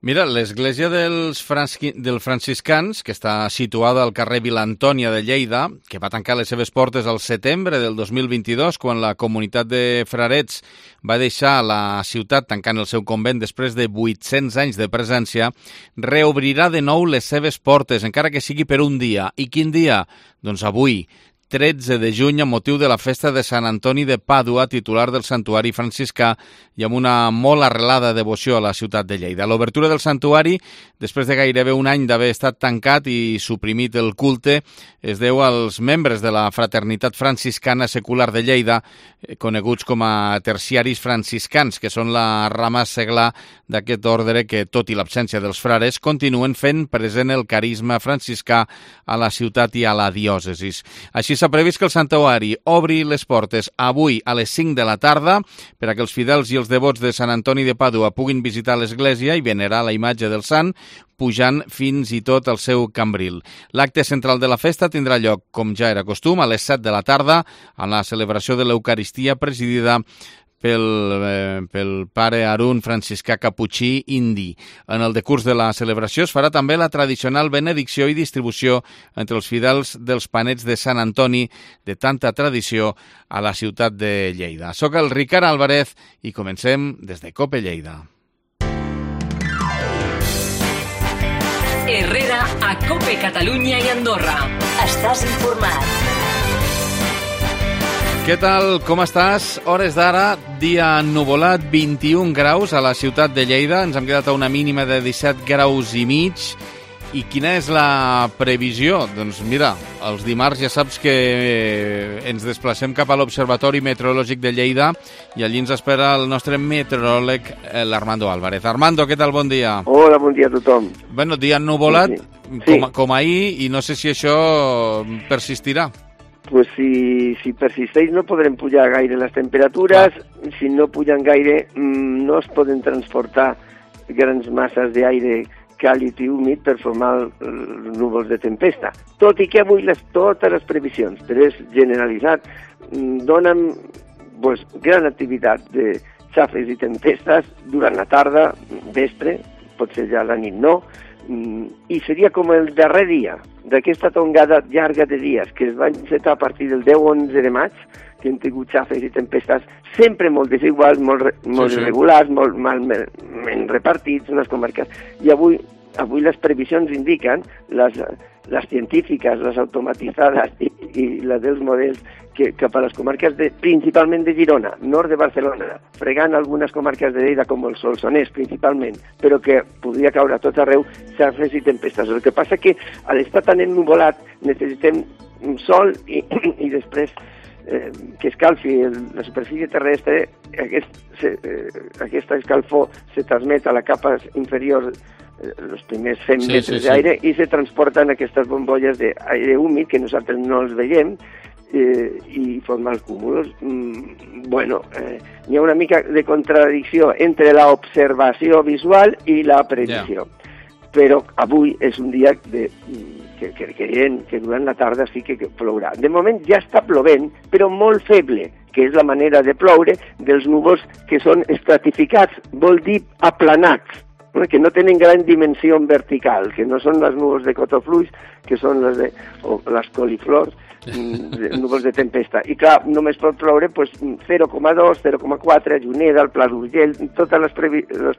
Mira, l'església dels franciscans, que està situada al carrer Vila Antònia de Lleida, que va tancar les seves portes al setembre del 2022, quan la comunitat de frarets va deixar la ciutat tancant el seu convent després de 800 anys de presència, reobrirà de nou les seves portes, encara que sigui per un dia. I quin dia? Doncs avui, 13 de juny, a motiu de la festa de Sant Antoni de Pàdua, titular del santuari franciscà, i amb una molt arrelada devoció a la ciutat de Lleida. L'obertura del santuari, després de gairebé un any d'haver estat tancat i suprimit el culte, es deu als membres de la Fraternitat Franciscana Secular de Lleida, coneguts com a terciaris franciscans, que són la rama seglar d'aquest ordre que, tot i l'absència dels frares, continuen fent present el carisma franciscà a la ciutat i a la diòcesis. Així s'ha previst que el santuari obri les portes avui a les 5 de la tarda per a que els fidels i els devots de Sant Antoni de Pàdua puguin visitar l'església i venerar la imatge del sant, pujant fins i tot al seu cambril. L'acte central de la festa tindrà lloc, com ja era costum, a les 7 de la tarda, amb la celebració de l'Eucaristia presidida pel pare Arun franciscà caputxí indi. En el decurs de la celebració es farà també la tradicional benedicció i distribució entre els fidels dels panets de Sant Antoni, de tanta tradició a la ciutat de Lleida. Soc el Ricard Álvarez i comencem des de COPE Lleida. Herrera a COPE Catalunya i Andorra. Estàs informat. Què tal? Com estàs? Hores d'ara, dia ennuvolat, 21 graus a la ciutat de Lleida. Ens hem quedat a una mínima de 17 graus i mig. I quina és la previsió? Doncs mira, els dimarts ja saps que ens desplacem cap a l'Observatori Meteorològic de Lleida i allí ens espera el nostre meteoròleg, l'Armando Álvarez. Armando, què tal? Bon dia. Hola, bon dia a tothom. Bueno, dia ennuvolat, sí. Com ahir, i no sé si això persistirà. Pues si persisteix no podrem pujar gaire les temperatures. Clar. Si no pugen gaire no es poden transportar grans masses d'aire càlid i humit per formar núvols de tempesta. Tot i que avui totes les previsions, però és generalitzat, donen gran activitat de xafes i tempestes durant la tarda, vespre, potser ja la nit no, i seria com el darrer dia d'aquesta tongada llarga de dies que es va encetar a partir del 10-11 de maig, que hem tingut xafes i tempestes sempre molt desiguals, molt irregulars, molt malament repartits en les comarques. I avui les previsions indiquen, les científiques, les automatitzades i les dels models, que cap a les comarques principalment de Girona, nord de Barcelona, fregant algunes comarques de Lleida com el Solsonès principalment, però que podria caure a tot arreu xafes i tempestes. El que passa que a l'estar tan ennuvolat necessitem sol i després que escalfi la superfície terrestre. Aquesta escalfor se transmet a la capa inferior els primers 100 metres d'aire i se transporten aquestes bombolles d'aire húmid que nosaltres no els veiem i formar els cúmuls. Hi ha una mica de contradicció entre l'observació visual i la previsió. Però avui és un dia que creiem que durant la tarda sí que plourà. De moment ja està plovent, però molt feble, que és la manera de ploure dels núvols que són estratificats, vol dir aplanats, que no tenen gran dimensió vertical, que no són les núvols de cotofluix, que són les coliflors, núvols de tempesta. I clar, només pot ploure 0,2, 0,4, a Juneda, al Pla d'Urgell, totes les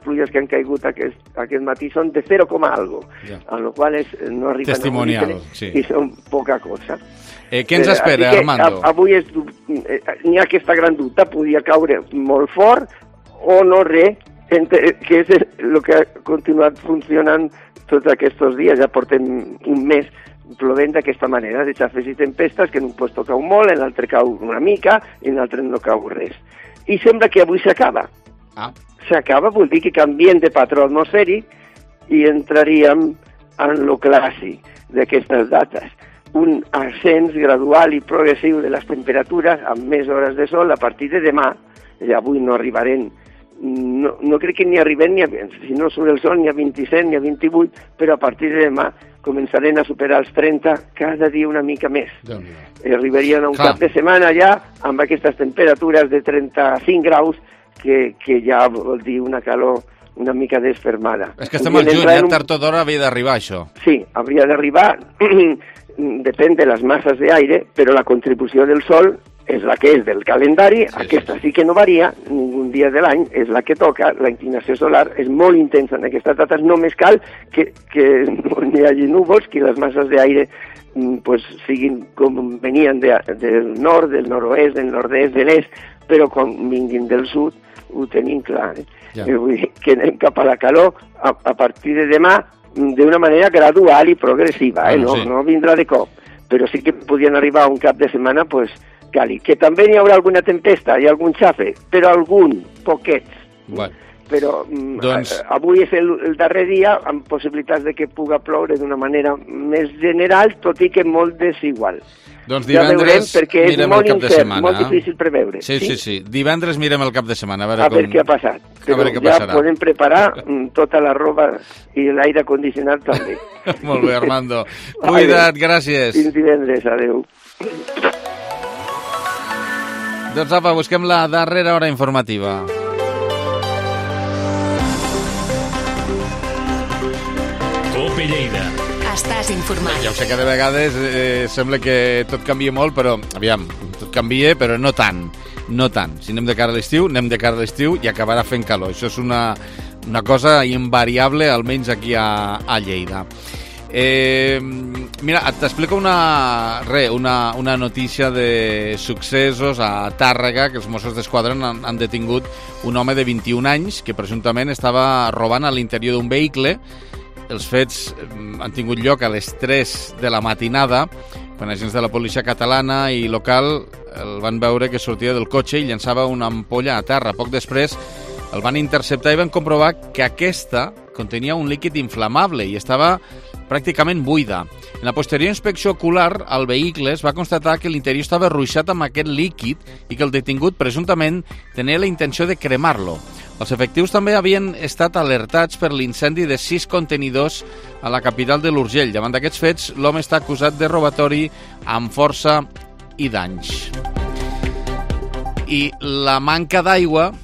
pluies que han caigut aquest matí són de 0, algo, amb la qual no arriben testimonial, i són poca cosa. Què ens espera, Armando? Avui n'hi ha aquesta gran dubte, podia caure molt fort o no res, que és el que ha continuat funcionant tots aquests dies. Ja portem un mes plovent d'aquesta manera, de xafes i tempestes, que en un lloc cau molt, en l'altre cau una mica, i en l'altre no cau res. I sembla que avui s'acaba. S'acaba vol dir que canviem de patró atmosfèric i entraríem en lo clàssic d'aquestes dates. Un ascens gradual i progressiu de les temperatures amb més hores de sol a partir de demà. Avui no arribarem, no crec que ni arribem, si no surt el sol, ni a 27 ni a 28, però a partir de demà començarem a superar els 30 cada dia una mica més. Arribarien a un cap de setmana ja amb aquestes temperatures de 35 graus que ja vol dir una calor una mica desfermada. És que estem al juny, tard o d'hora havia d'arribar això. Sí, hauria d'arribar, depèn de les masses d'aire, però la contribució del sol és la que és del calendari, aquesta sí que no varia, ningú dia de l'any, és la que toca, la inclinació solar és molt intensa en aquestes dates, només cal que no hi hagi núvols, que les masses d'aire pues, siguin com venien del nord, del nord-oest, del nord-est, de l'est, però quan vinguin del sud ho tenim clar. Vull dir que anem cap a la calor a partir de demà d'una manera gradual i progressiva, no vindrà de cop, però sí que podien arribar un cap de setmana pues, càlid, que també hi haurà alguna tempesta i algun xafe, però algun, poquets. Bueno. Però avui és el darrer dia amb possibilitats de que puga ploure d'una manera més general, tot i que molt desigual. Doncs divendres mirem el cap de setmana. Molt difícil preveure. Sí. Divendres mirem el cap de setmana. A veure què ha passat. Però ja podem preparar tota la roba i l'aire condicionat també. Molt bé, Armando. Cuida't, gràcies. Fins divendres, adeu. Doncs apa, busquem la darrera hora informativa. Cope Lleida. Estàs informat. Ja ho sé que de vegades sembla que tot canvia molt, però, aviam, tot canvia, però no tant. No tant. Si anem de cara a l'estiu, anem de cara a l'estiu i acabarà fent calor. Això és una cosa invariable, almenys aquí a Lleida. Mira, t'explico una notícia de successos a Tàrrega, que els Mossos d'Esquadra han detingut un home de 21 anys que presumptament estava robant a l'interior d'un vehicle. Els fets han tingut lloc a les 3 de la matinada, quan agents de la policia catalana i local el van veure que sortia del cotxe i llançava una ampolla a terra. Poc després el van interceptar i van comprovar que aquesta contenia un líquid inflamable i estava pràcticament buida. En la posterior inspecció ocular al vehicle es va constatar que l'interior estava ruixat amb aquest líquid i que el detingut presumptament tenia la intenció de cremar-lo. Els efectius també havien estat alertats per l'incendi de 6 contenidors a la capital de l'Urgell. Davant d'aquests fets, l'home està acusat de robatori amb força i danys. I la manca d'aigua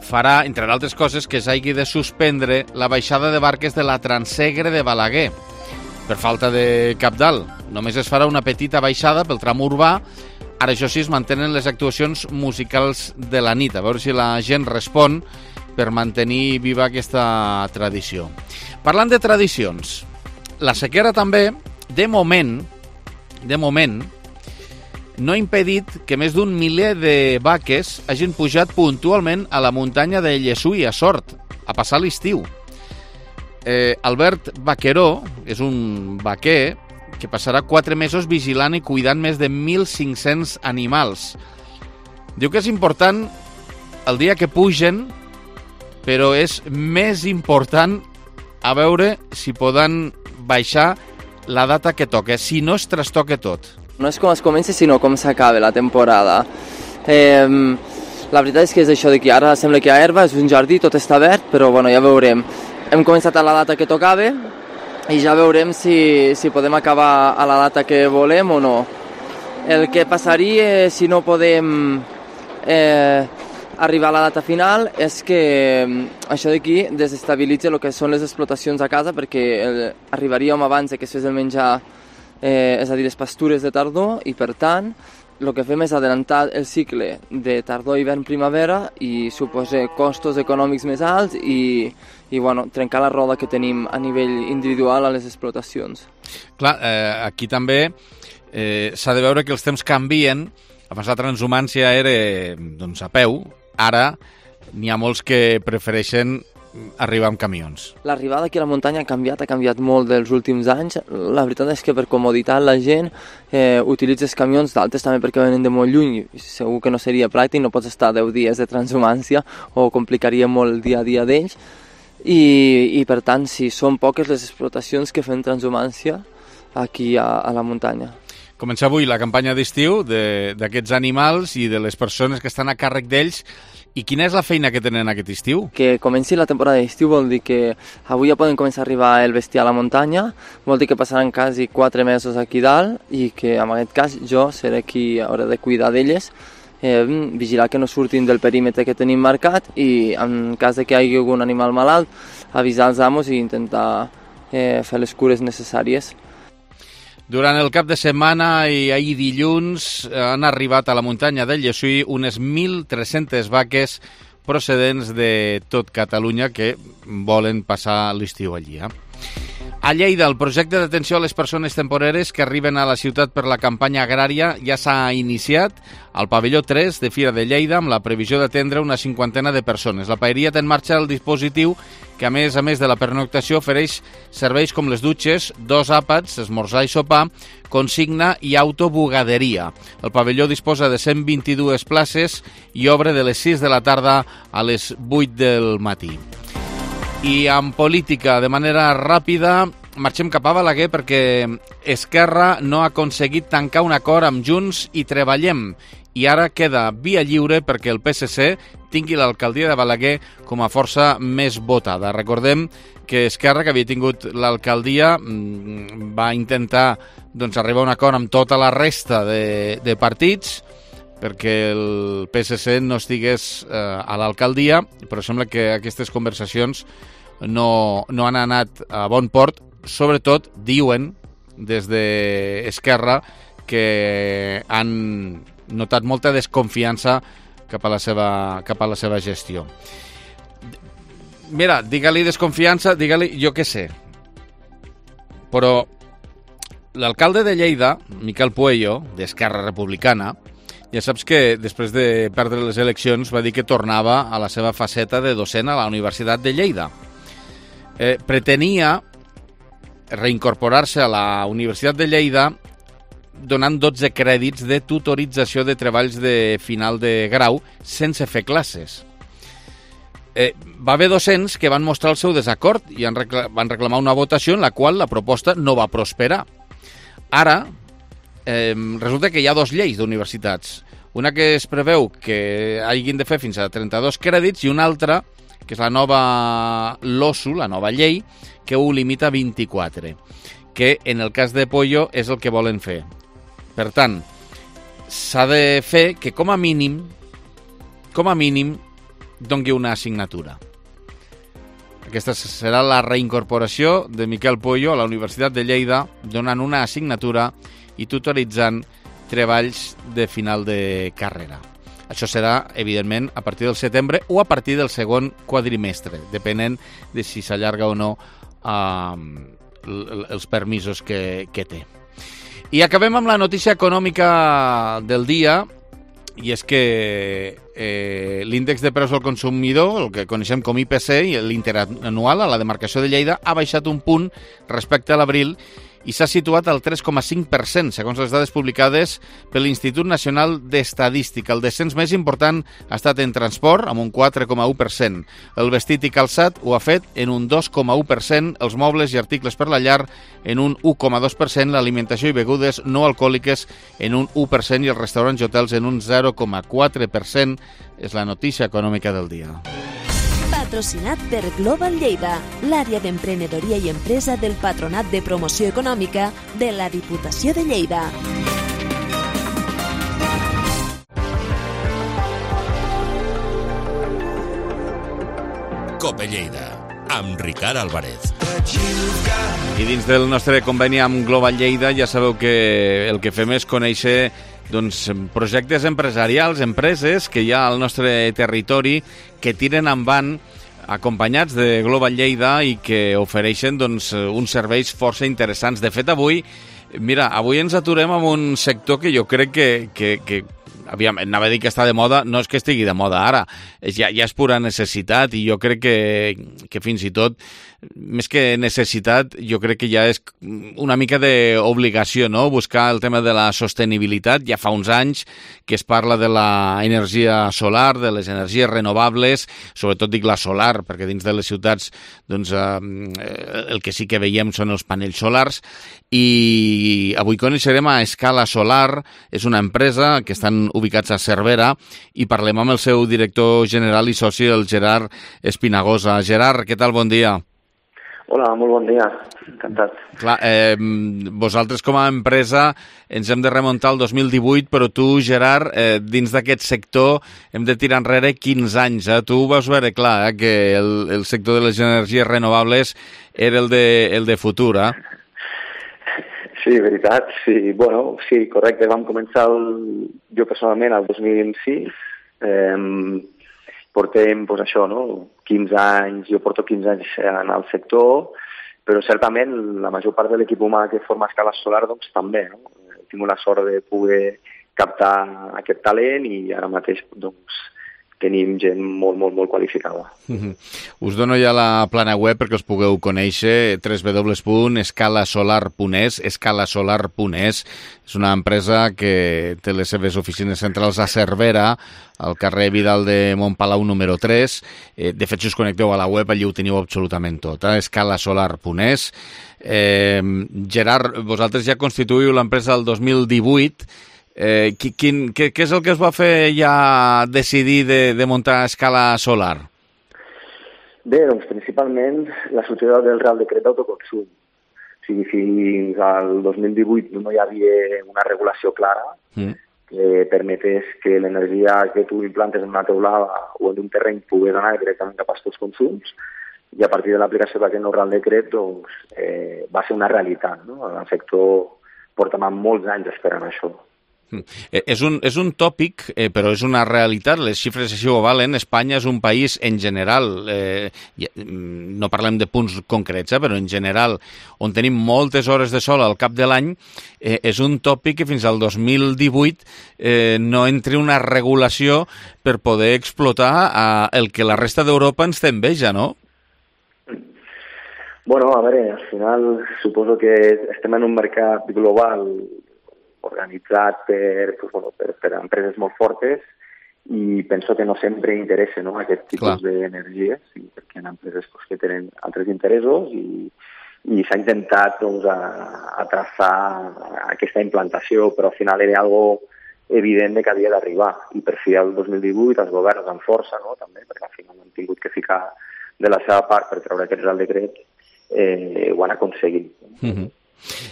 farà, entre d'altres coses, que s'hagi de suspendre la baixada de barques de la Transegre de Balaguer per falta de cabdal. Només es farà una petita baixada pel tram urbà. Ara, això sí, es mantenen les actuacions musicals de la nit, a veure si la gent respon per mantenir viva aquesta tradició. Parlant de tradicions, la sequera també, de moment, no ha impedit que més d'un miler de vaques hagin pujat puntualment a la muntanya de Llessui, a Sort, a passar l'estiu. Albert Vaqueró és un vaquer que passarà 4 mesos vigilant i cuidant més de 1.500 animals. Diu que és important el dia que pugen, però és més important a veure si poden baixar la data que toca, si no es trastoca tot. No és com es comença, sinó com s'acaba la temporada. La veritat és que és això de que ara sembla que hi ha herba, és un jardí, tot està verd, però bueno, ja veurem. Hem començat a la data que tocava i ja veurem si podem acabar a la data que volem o no. El que passaria si no podem arribar a la data final és que això d'aquí desestabilitza el que són les explotacions a casa, perquè arribaríem abans que es fes el menjar, és a dir, les pastures de tardor, i per tant el que fem és adelantar el cicle de tardor, hivern, primavera i suposa costos econòmics més alts i bueno, trencar la roda que tenim a nivell individual a les explotacions. Clar, aquí també s'ha de veure que els temps canvien. Abans la transhumància era doncs, a peu, ara n'hi ha molts que prefereixen arribar amb camions. L'arribada aquí a la muntanya ha canviat molt dels últims anys. La veritat és que per comoditat la gent utilitza els camions d'altes també perquè venen de molt lluny. Segur que no seria pràctic, no pots estar 10 dies de transhumància o complicaria molt el dia a dia d'ells. I per tant, sí, són poques les explotacions que fan transhumància aquí a la muntanya. Comença avui la campanya d'estiu d'aquests animals i de les persones que estan a càrrec d'ells. I quina és la feina que tenen aquest estiu? Que comenci la temporada d'estiu vol dir que avui ja poden començar a arribar el bestiar a la muntanya, vol dir que passaran quasi 4 mesos aquí dalt i que en aquest cas jo seré qui haurà de cuidar d'elles vigilar que no surtin del perímetre que tenim marcat i en cas de que hi hagi algun animal malalt, avisar els amos i intentar fer les cures necessàries. Durant el cap de setmana i ahir dilluns han arribat a la muntanya del Llessui unes 1.300 vaques procedents de tot Catalunya que volen passar l'estiu allí. A Lleida, el projecte d'atenció a les persones temporeres que arriben a la ciutat per la campanya agrària ja s'ha iniciat al pavelló 3 de Fira de Lleida amb la previsió d'atendre una 50 de persones. La paeria té en marxa el dispositiu que, a més de la pernoctació, ofereix serveis com les dutxes, 2 àpats, esmorzar i sopar, consigna i autobugaderia. El pavelló disposa de 122 places i obre de les 6 de la tarda a les 8 del matí. I en política, de manera ràpida, marxem cap a Balaguer perquè Esquerra no ha aconseguit tancar un acord amb Junts i Treballem. I ara queda via lliure perquè el PSC tingui l'alcaldia de Balaguer com a força més votada. Recordem que Esquerra, que havia tingut l'alcaldia, va intentar arribar a un acord amb tota la resta de partits perquè el PSC no estigués a l'alcaldia, però sembla que aquestes conversacions no han anat a bon port. Sobretot diuen des d'Esquerra que han notat molta desconfiança cap a la seva gestió. Mira, digue-li desconfiança, digue-li jo què sé. Però l'alcalde de Lleida, Miquel Puello, d'Esquerra Republicana, ja saps que després de perdre les eleccions va dir que tornava a la seva faceta de docent a la Universitat de Lleida. Pretenia reincorporar-se a la Universitat de Lleida donant 12 crèdits de tutorització de treballs de final de grau sense fer classes. Va haver docents que van mostrar el seu desacord i van reclamar una votació en la qual la proposta no va prosperar. Ara, resulta que hi ha 2 lleis d'universitats. Una que es preveu que hagin de fer fins a 32 crèdits i una altra, que és la nova LOSU, la nova llei, que ho limita a 24, que en el cas de Pollo és el que volen fer. Per tant, s'ha de fer que com a mínim, doni una assignatura. Aquesta serà la reincorporació de Miquel Puello a la Universitat de Lleida, donant una assignatura i tutoritzant treballs de final de carrera. Això serà, evidentment, a partir del setembre o a partir del segon quadrimestre, depenent de si s'allarga o no els permisos que té. I acabem amb la notícia econòmica del dia, i és que l'índex de preus al consumidor, el que coneixem com IPC, i l'interanual a la demarcació de Lleida, ha baixat un punt respecte a l'abril i s'ha situat al 3,5%, segons les dades publicades per l'Institut Nacional d'Estadística. El descens més important ha estat en transport, amb un 4,1%. El vestit i calçat ho ha fet en un 2,1%, els mobles i articles per la llar en un 1,2%, l'alimentació i begudes no alcohòliques en un 1% i els restaurants i hotels en un 0,4%. És la notícia econòmica del dia. Patrocinat per Global Lleida, l'àrea d'emprenedoria i empresa del Patronat de Promoció Econòmica de la Diputació de Lleida. Cope Lleida, amb Ricard Álvarez. I dins del nostre conveni amb Global Lleida ja sabeu que el que fem és conèixer projectes empresarials, empreses que hi ha al nostre territori que tiren endavant acompanyats de Global Lleida i que ofereixen uns serveis força interessants. De fet, avui ens aturem amb un sector que jo crec que aviam, anava a dir que està de moda, no és que estigui de moda ara, ja és pura necessitat i jo crec que fins i tot, més que necessitat, jo crec que ja és una mica d'obligació, no?, buscar el tema de la sostenibilitat. Ja fa uns anys que es parla de la energia solar, de les energies renovables, sobretot dic la solar, perquè dins de les ciutats el que sí que veiem són els panells solars, i avui coneixerem a Escala Solar, és una empresa que estan ubicats a Cervera, i parlem amb el seu director general i soci, el Gerard Espinagosa. Gerard, què tal? Bon dia. Hola, molt bon dia, encantat. Clar, vosaltres com a empresa ens hem de remuntar al 2018, però tu, Gerard, dins d'aquest sector hem de tirar enrere 15 anys. Tu ho vas veure clar, que el sector de les energies renovables era el de futur, Sí, veritat, sí. Bueno, sí, correcte. Vam començar jo personalment el 2006. Portem, doncs això, no? 15 anys, jo porto 15 anys en el sector, però certament la major part de l'equip humà que forma Escala Solar doncs també, no? He tingut la sort de poder captar aquest talent i ara mateix doncs tenim gent molt qualificada. Us dono ja la plana web perquè us pugueu conèixer, www.escalasolar.es, escalasolar.es. És una empresa que té les seves oficines centrals a Cervera, al carrer Vidal de Montpalau número 3. De fet, si us connecteu a la web, allí ho teniu absolutament tot, escalasolar.es. Gerard, vosaltres ja constituïu l'empresa del 2018. Què és el que es va fer ja decidir de muntar Escala Solar? Bé, doncs principalment la sortida del Real Decret d'Autoconsum. O sigui, fins al 2018 no hi havia una regulació clara que permetés que l'energia que tu implantes en una teulada o en un terreny pogués anar directament cap als teus consums, i a partir de l'aplicació d'aquest nou Real Decret doncs, va ser una realitat, no? El sector porta molts anys esperant això. És un tòpic, però és una realitat, les xifres així ho valen. Espanya és un país, en general, no parlem de punts concrets, però en general, on tenim moltes hores de sol al cap de l'any, és un tòpic que fins al 2018 no entri una regulació per poder explotar el que la resta d'Europa ens té enveja, no? Bueno, a veure, al final suposo que estem en un mercat global organitzat per empreses molt fortes i penso que no sempre interessa, no, aquest tipus d'energies, perquè hi ha empreses que tenen altres interessos i s'ha intentat doncs, a traçar aquesta implantació, però al final era algo evident que havia d'arribar i per fi el 2018 els governs amb força, no, també, perquè al final han tingut que ficar de la seva part per treure aquest Real Decret, ho han aconseguit.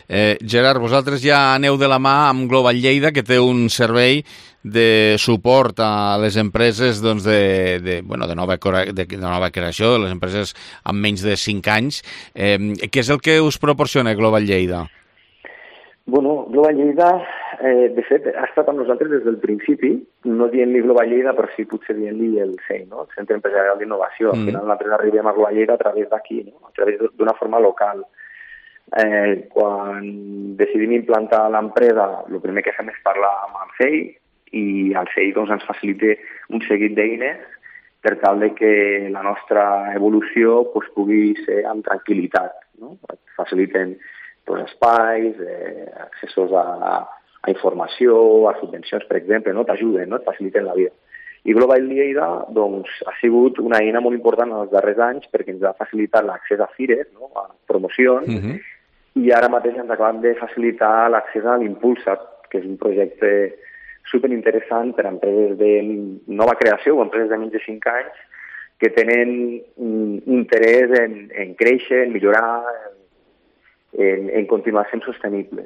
Gerard, vosaltres ja aneu de la mà amb Global Lleida, que té un servei de suport a les empreses doncs, de nova creació, les empreses amb menys de 5 anys. Què és el que us proporciona Global Lleida? Bueno, Global Lleida, de fet, ha estat amb nosaltres des del principi, no dient-li Global Lleida, però sí potser dient-li el CEI, no? El Centre Empresarial d'Innovació. Al final nosaltres arribem a Global Lleida a través d'aquí, no? A través d'una forma local. Quan decidim implantar l'empresa, el primer que fem és parlar amb el CEI i el CEI doncs, ens facilita un seguit d'eines per tal de que la nostra evolució doncs, pugui ser amb tranquil·litat. No? Faciliten doncs, espais, accessos a informació, a subvencions, per exemple, no? T'ajuden, no? Et faciliten la vida. I Global Lleida doncs, ha sigut una eina molt important en els darrers anys perquè ens ha facilitat l'accés a fires, no? A promocions, i ara mateix ens acaben de facilitar l'accés a l'Impulsat, que és un projecte superinteressant per a empreses de nova creació o empreses de menys de 5 anys que tenen interès en créixer, en millorar, en continuar sent sostenibles.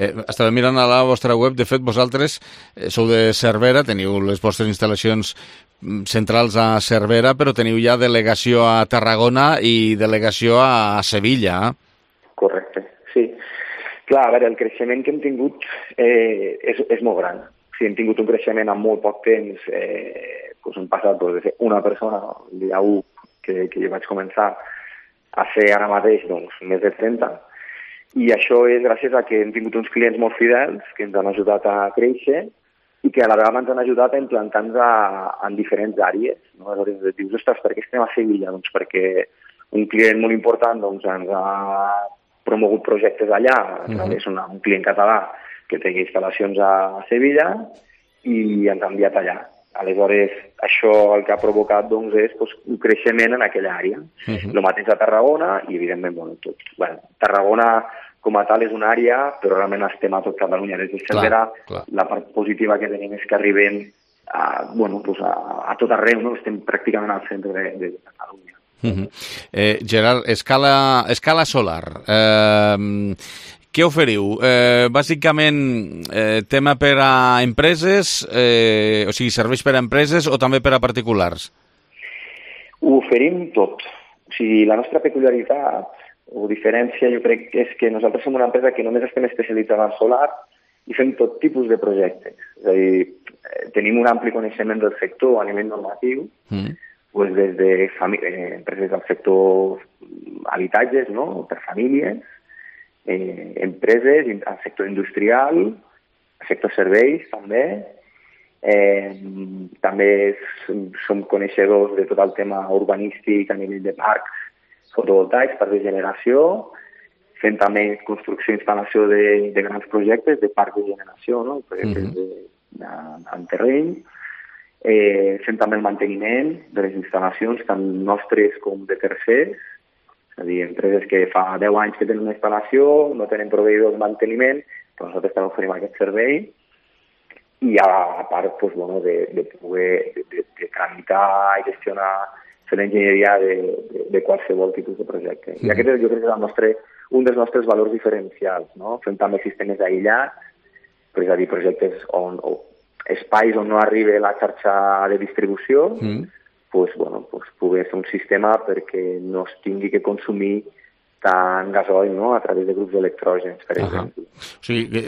Estava mirant a la vostra web, de fet vosaltres sou de Cervera, teniu les vostres instal·lacions centrals a Cervera, però teniu ja delegació a Tarragona i delegació a Sevilla. Correcte, sí. Clar, a veure, el creixement que hem tingut és molt gran. O sigui, hem tingut un creixement en molt poc temps, hem passat de ser una persona, el dia 1 que jo vaig començar, a ser ara mateix més de 30, i això és gràcies a que hem tingut uns clients molt fidels que ens han ajudat a créixer i que a la vegada ens han ajudat a implantar-nos en diferents àrees. No? Aleshores dius, ostres, per què estem a Sevilla? Doncs perquè un client molt important ens ha promogut projectes allà, és un client català que té instal·lacions a Sevilla i ens ha enviat allà. Aleshores, això el que ha provocat és un creixement en aquella àrea. El mateix a Tarragona i, evidentment, tot. Tarragona, com a tal, és una àrea, però realment estem a tot Catalunya. Des de Cervera, la part positiva que tenim és que arribem a tot arreu, no? Estem pràcticament al centre de Catalunya. Gerard, escala solar. Què oferiu? Bàsicament, tema per a empreses, o sigui, serveis per a empreses o també per a particulars? Ho oferim tot. O sigui, la nostra peculiaritat o diferència jo crec que és que nosaltres som una empresa que només estem especialitzada en solar i fem tot tipus de projectes. És a dir, tenim un ampli coneixement del sector a nivell normatiu, doncs des de empreses del sector habitatges, no?, per famílies, empreses al sector industrial, al sector serveis també. També som coneixedors de tot el tema urbanístic a nivell de parcs fotovoltaics, parcs de generació, fent també construcció i instal·lació de grans projectes de parcs de generació, no?, projectes en terreny, fent també el manteniment de les instal·lacions, tant nostres com de tercers, és a dir, empreses que fa 10 anys que tenen una instal·lació, no tenen proveïdors de manteniment, però nosaltres també oferim aquest servei, i a part de poder tramitar i gestionar, fer l'enginyeria de qualsevol tipus de projecte. I aquest jo crec que és un dels nostres valors diferencials, no? Fem també sistemes aïllats, és a dir, projectes espais on no arriba la xarxa de distribució, poder fer un sistema perquè no es tingui que consumir tant gasoil, no?, a través de grups electrògens, per exemple. O sigui,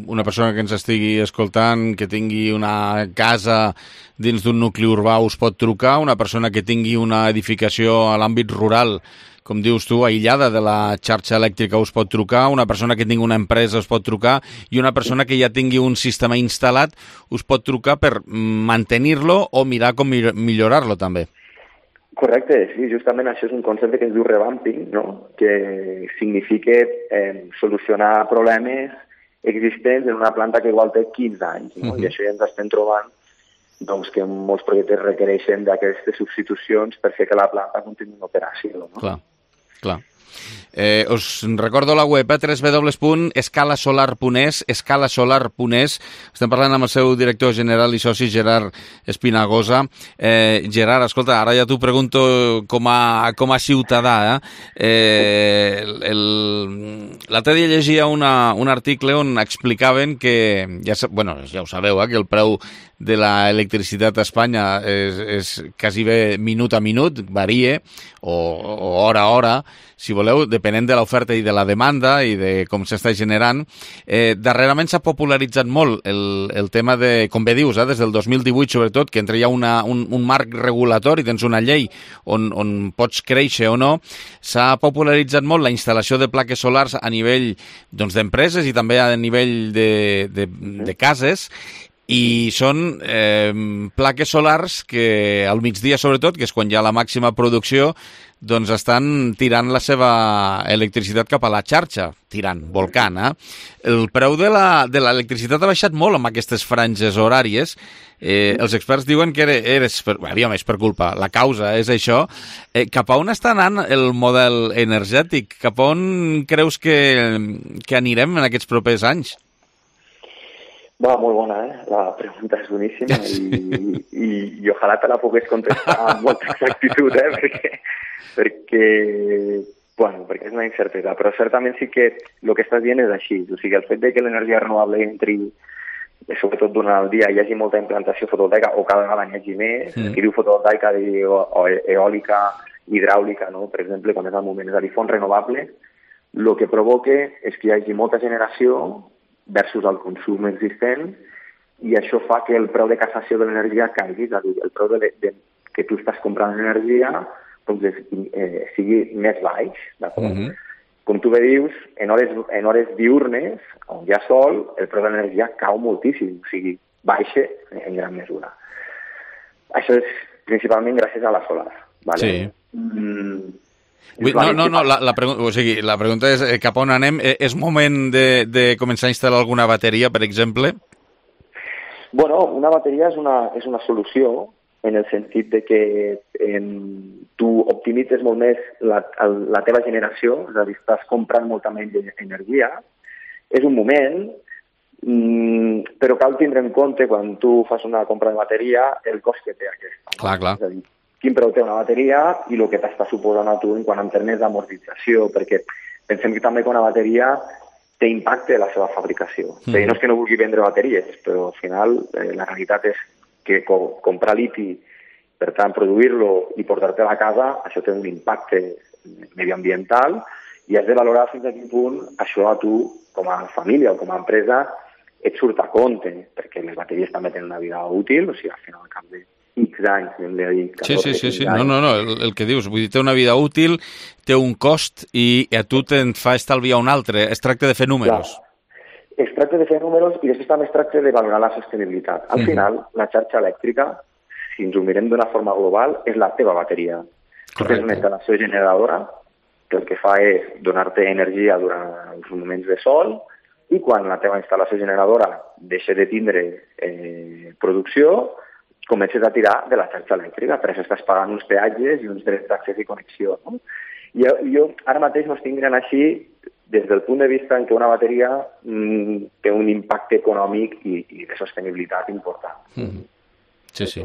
una persona que ens estigui escoltant, que tingui una casa dins d'un nucli urbà us pot trucar, una persona que tingui una edificació a l'àmbit rural, com dius tu, aïllada de la xarxa elèctrica us pot trucar, una persona que tingui una empresa us pot trucar i una persona que ja tingui un sistema instal·lat us pot trucar per mantenir-lo o mirar com millorar-lo també. Correcte, sí, justament això és un concepte que es diu revamping, no?, que significa solucionar problemes existents en una planta que igual té 15 anys, no? I això ja ens estem trobant doncs, que molts projectes requereixen d'aquestes substitucions per fer que la planta continuï en operació, no? Clar. Us recordo la web, www.escalasolar.es, escalasolar.es. Estem parlant amb el seu director general i soci, Gerard Espinagosa. Gerard, escolta, ara ja t'ho pregunto com a ciutadà. L'altre dia llegia un article on explicaven que, ja ho sabeu, que el preu de l'electricitat a Espanya és quasi bé minut a minut, varia, o hora a hora, si voleu, depenent de l'oferta i de la demanda i de com s'està generant. Darrerament s'ha popularitzat molt el tema de, com bé dius, des del 2018 sobretot, que entre hi ha un marc regulatori, tens una llei on pots créixer o no, s'ha popularitzat molt la instal·lació de plaques solars a nivell d'empreses i també a nivell de cases, i són plaques solars que al migdia sobretot, que és quan hi ha la màxima producció, doncs estan tirant la seva electricitat cap a la xarxa, volcant. El preu de l'electricitat ha baixat molt amb aquestes franges horàries. Els experts diuen que és per culpa, la causa és això. Cap a on està anant el model energètic? Cap a on creus que anirem en aquests propers anys? Molt bona, la pregunta és boníssima i ojalà te la pogués contestar amb molta exactitud, perquè és una incertesa, però certament sí que el que estàs dient és així, o sigui, el fet de que l'energia renovable entri, sobretot durant el dia, hi hagi molta implantació fotovoltaica o cada vegada n'hi hagi més, qui diu fotovoltaica o eòlica, hidràulica, no? Per exemple, quan és el moment, és a dir, font renovable, el que provoca és que hi hagi molta generació versus el consum existent, i això fa que el preu de cassació de l'energia caigui, és a dir, el preu que tu estàs comprant l'energia doncs, sigui més baix. Com tu bé dius, en hores diurnes, on hi ha sol, el preu de l'energia cau moltíssim, o sigui, baixa en gran mesura. Això és principalment gràcies a la solar. Vale? Sí. La pregunta és cap on anem. És moment de començar a instal·lar alguna bateria, per exemple? Una bateria és una solució en el sentit de que tu optimitzes molt més la teva generació, és a dir, estàs comprant molta menys energia. És un moment, però cal tindre en compte, quan tu fas una compra de bateria, el cost que té aquesta. Clar. És a dir, quin preu té una bateria i el que t'està suposant a tu en quant a termes d'amortització, perquè pensem que també que una bateria té impacte en la seva fabricació. No és que no vulgui vendre bateries, però al final la realitat és que comprar liti, per tant, produir-lo i portar-te a la casa, això té un impacte mediambiental i has de valorar fins a quin punt això a tu, com a família o com a empresa, et surt a compte, perquè les bateries també tenen una vida útil, o sigui, al final, al cap de X anys, hem de dir... 14, sí. No, el que dius, vull dir, té una vida útil, té un cost i a tu te'n fa estalviar un altre. Es tracta de fer números. Clar. Es tracta de fer números i després també es tracta de valorar la sostenibilitat. Al final, la xarxa elèctrica, si ens ho mirem d'una forma global, és la teva bateria. És una instal·lació generadora que el que fa és donar-te energia durant uns moments de sol i quan la teva instal·lació generadora deixa de tindre producció, comences a tirar de la xarxa elèctrica, per això estàs pagant uns peatges i uns drets d'accés i connexió. No? Jo ara mateix m'ho estic mirant així des del punt de vista en què una bateria té un impacte econòmic i de sostenibilitat important. Sí.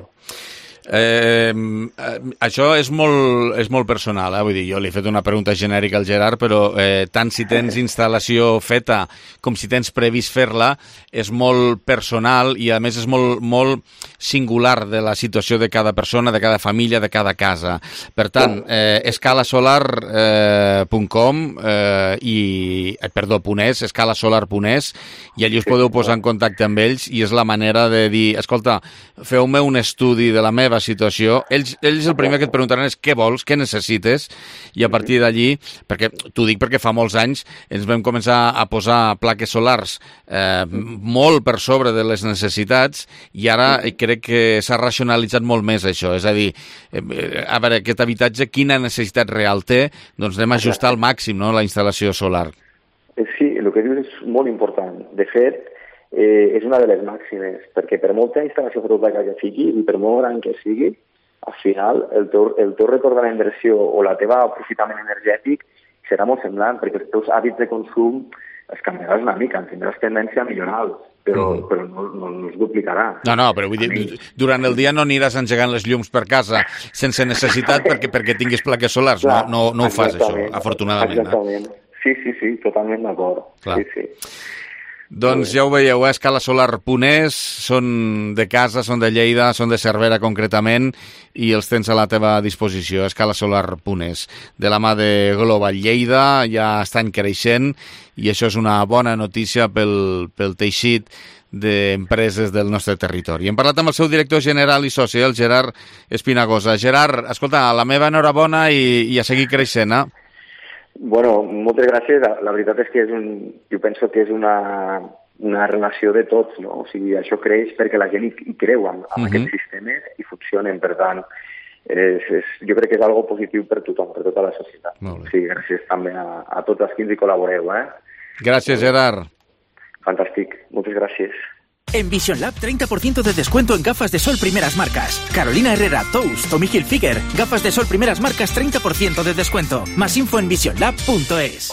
Això és molt personal, vull dir, jo li he fet una pregunta genèrica al Gerard, però tant si tens instal·lació feta com si tens previst fer-la, és molt personal i a més és molt singular de la situació de cada persona, de cada família, de cada casa. Per tant, escalasolar.es, i allí us podeu posar en contacte amb ells i és la manera de dir, escolta, feu-me un estudi de la meva situació. Ells el primer que et preguntaran és què vols, què necessites, i a partir d'allí, perquè t'ho dic perquè fa molts anys ens vam començar a posar plaques solars molt per sobre de les necessitats i ara crec que s'ha racionalitzat molt més això, és a dir, a veure, aquest habitatge quina necessitat real té, doncs anem a ajustar al màxim, no?, la instal·lació solar. Sí, el que dius és molt important. De fet, és una de les màximes, perquè per molta instal·lació fotovoltaica que sigui i per molt gran que sigui, al final el teu retorn de inversió o la teva aprofitament energètic serà molt semblant, perquè els teus hàbits de consum es canviaràs una mica, tindràs tendència a millorar-los, però no es duplicarà. No, però vull dir, durant el dia no aniràs engegant les llums per casa sense necessitat perquè tinguis plaques solars, no ho fas això, afortunadament. Exactament, sí, totalment d'acord. Sí. Doncs ja ho veieu, escalasolar.es, són de casa, són de Lleida, són de Cervera concretament, i els tens a la teva disposició, escalasolar.es. De la mà de Global Lleida, ja estan creixent, i això és una bona notícia pel teixit d'empreses del nostre territori. Hem parlat amb el seu director general i soci, el Gerard Espinagosa. Gerard, escolta, la meva enhorabona i a seguir creixent, Bueno, moltes gràcies. La veritat és que jo penso que és una relació de tots, no? O sigui, això creix perquè la gent hi creu en aquests sistemes i funcionen. Per tant, jo crec que és algo positiu per tothom, per tota la societat. O sigui, gràcies també a tots els que ens hi col·laboreu. Gràcies, Gerard. Fantàstic. Moltes gràcies. En Vision Lab, 30% de descuento en gafas de sol primeras marcas. Carolina Herrera, Tous, Tommy Hilfiger. Gafas de sol primeras marcas, 30% de descuento. Más info en visionlab.es.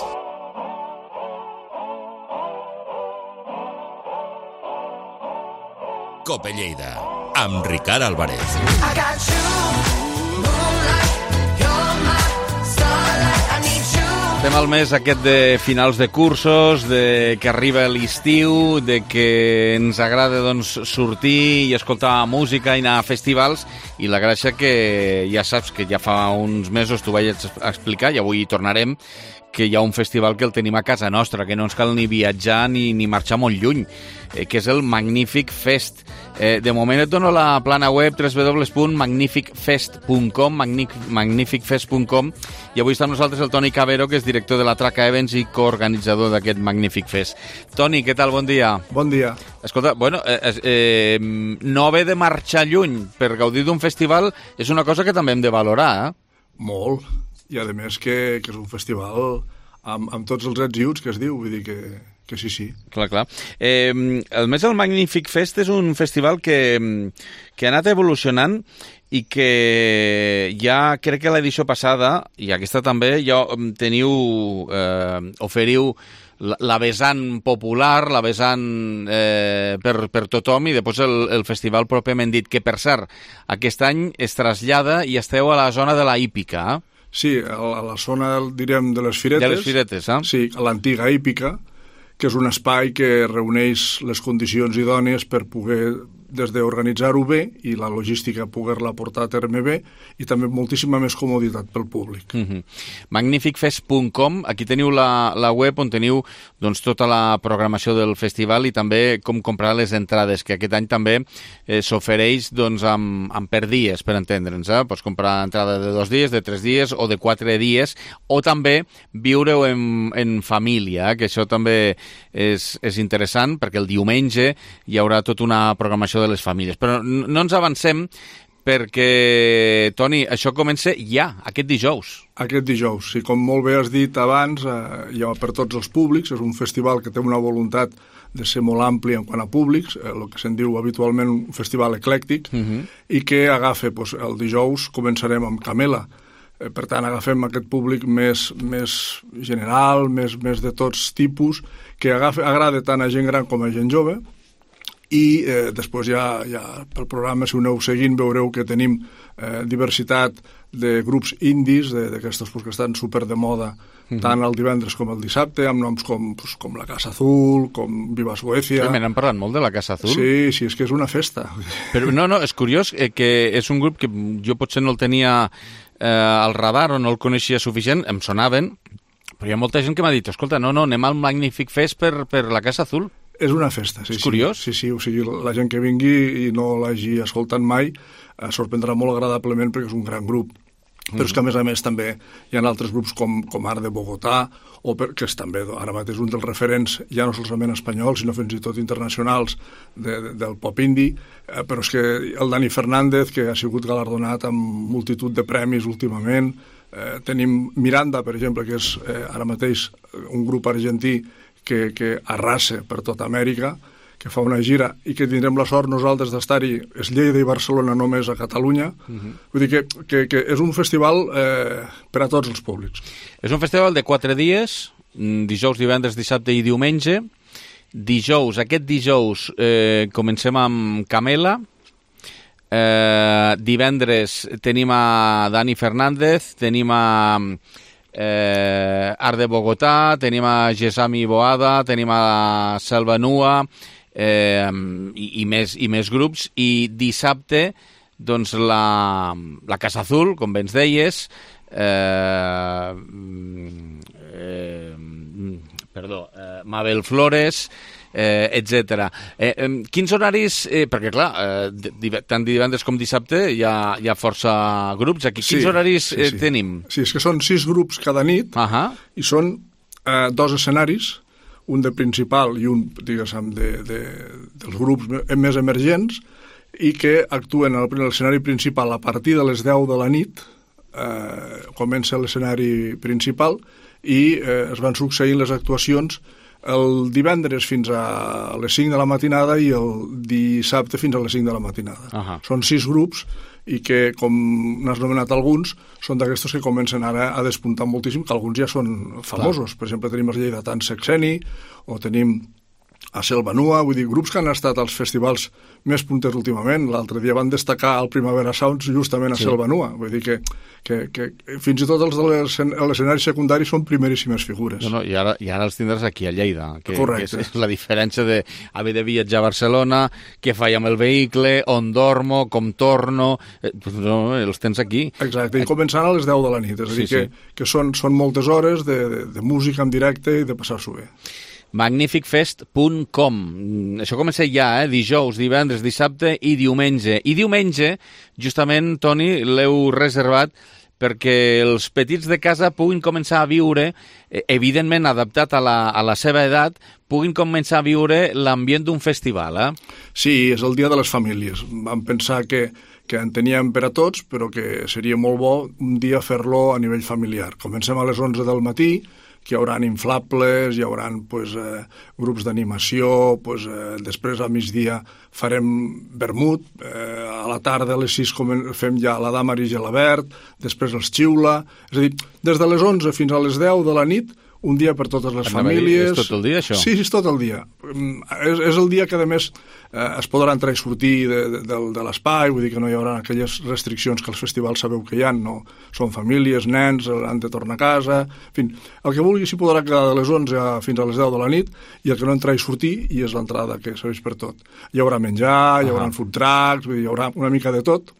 Cope Lleida, amb Ricard Álvarez. Estem al mes aquest de finals de cursos, de que arriba l'estiu, de que ens agrada sortir i escoltar música i anar a festivals, i la gràcia que ja saps que ja fa uns mesos t'ho vaig explicar i avui hi tornarem, que hi ha un festival que el tenim a casa nostra, que no ens cal ni viatjar ni marxar molt lluny, que és el Magnific Fest. De moment et dono la plana web www.magnificfest.com, magnificfest.com, i avui està amb nosaltres el Toni Cabero, que és director de la Traca Events i coorganitzador d'aquest Magnific Fest. Toni, què tal? Bon dia. Bon dia. Escolta, bueno, no haver de marxar lluny per gaudir d'un festival és una cosa que també hem de valorar, Molt. I a més que és un festival amb tots els ets i uts que es diu, vull dir que sí. Clar. El més del Magnific Fest és un festival que ha anat evolucionant i que ja crec que l'edició passada, i aquesta també, ja oferiu la vessant popular, la vessant per tothom, i després el festival pròpiament dit, que per cert, aquest any es trasllada i esteu a la zona de la hípica. Sí, a la zona, diríem, de les Firetes. De les Firetes, Sí, a l'antiga hípica, que és un espai que reuneix les condicions idònies per poder, des d'organitzar-ho bé i la logística poder-la portar a terme bé, i també moltíssima més comoditat pel públic. Magnificfest.com, aquí teniu la web on teniu doncs, tota la programació del festival i també com comprar les entrades, que aquest any també s'ofereix doncs, amb per dies, per entendre'ns. Pots comprar entrada de 2 dies, de 3 dies o de 4 dies, o també viure-ho en família, que això també és interessant, perquè el diumenge hi haurà tota una programació de les famílies. Però no ens avancem perquè, Toni, això comença ja, aquest dijous. Aquest dijous, sí, com molt bé has dit abans, hi ha per tots els públics, és un festival que té una voluntat de ser molt ampli en quant a públics, el que se'n diu habitualment un festival eclèctic, i que agafa, el dijous començarem amb Camela. Per tant, agafem aquest públic més general, més de tots tipus, que agrada tant a gent gran com a gent jove, i després ja pel programa, si ho aneu seguint, veureu que tenim diversitat de grups indis, d'aquestos que estan super de moda, tant el divendres com el dissabte, amb noms com la Casa Azul, com Viva Suecia. Sí, me n'han parlat molt de la Casa Azul. Sí, és que és una festa. Però no, és curiós que és un grup que jo potser no el tenia al radar o no el coneixia suficient, em sonaven, però hi ha molta gent que m'ha dit, escolta, no, anem al Magnific Fest per la Casa Azul. És una festa, sí. És curiós. Sí, o sigui, la gent que vingui i no l'hagi escoltat mai sorprendrà molt agradablement perquè és un gran grup. Però és que, a més, també hi ha altres grups com Art de Bogotà, que és també ara mateix un dels referents, ja no solament espanyols, sinó fins i tot internacionals del pop indie, però és que el Dani Fernández, que ha sigut galardonat amb multitud de premis últimament, tenim Miranda, per exemple, que és ara mateix un grup argentí que arrasa per tota Amèrica, que fa una gira i que tindrem la sort nosaltres d'estar-hi, és Lleida i Barcelona només a Catalunya. Vull dir que és un festival per a tots els públics. És un festival de 4 dies, dijous, divendres, dissabte i diumenge. Aquest dijous comencem amb Camela. Divendres tenim a Dani Fernández, tenim a Art de Bogotà, tenim a Gesami Boada, tenim a Selva Nua i més grups, i dissabte doncs la Casa Azul, com bé ens deies, Mabel Flores, etc. Quins horaris, perquè clar, tant divendres com dissabte hi ha força grups aquí. Quins horaris tenim? Sí, és que són 6 grups cada nit, i són 2 escenaris, un de principal i un, diguéssim, dels grups més emergents, i que actuen a l'escenari principal a partir de les 10 de la nit. Comença l'escenari principal i es van succeint les actuacions el divendres fins a les 5 de la matinada i el dissabte fins a les 5 de la matinada. Són 6 grups i que, com n'has nomenat alguns, són d'aquestos que comencen ara a despuntar moltíssim, que alguns ja són famosos. Per exemple, tenim els lleidatans Sexeni, o tenim a Selva Nua, vull dir, grups que han estat als festivals més punters últimament. L'altre dia van destacar al Primavera Sounds justament a Selva Nua. Vull dir que fins i tot els de l'escenari secundari són primeríssimes figures. I ara els tindràs aquí a Lleida. Correcte. Que és la diferència d'haver de viatjar a Barcelona, què faig amb el vehicle, on dormo, com torno... els tens aquí. Exacte, i començant a les 10 de la nit. És a dir, que són moltes hores de música en directe i de passar-s'ho bé. Magnificfest.com. Això comença ja, dijous, divendres, dissabte i diumenge. I diumenge, justament, Toni, l'heu reservat perquè els petits de casa puguin començar a viure, evidentment adaptat a la seva edat, puguin començar a viure l'ambient d'un festival. Sí, és el dia de les famílies. Vam pensar que en teníem per a tots, però que seria molt bo un dia fer-lo a nivell familiar. Comencem a les 11 del matí, que hi haurà inflables, hi haurà grups d'animació, després al migdia farem vermut, a la tarda a les 6 fem ja la dama i gelabert, després els xiula, és a dir, des de les 11 fins a les 10 de la nit, un dia per totes les famílies. És tot el dia, això? Sí, és tot el dia. És el dia que, a més, es podrà entrar i sortir de l'espai, vull dir que no hi haurà aquelles restriccions que als festivals sabeu que hi ha, no? Són famílies, nens, han de tornar a casa, en fi, el que vulgui s'hi podrà quedar de les 11 fins a les 10 de la nit, i el que no entrar i sortir, i és l'entrada que serveix per tot. Hi haurà menjar, hi haurà food trucks, vull dir, hi haurà una mica de tot,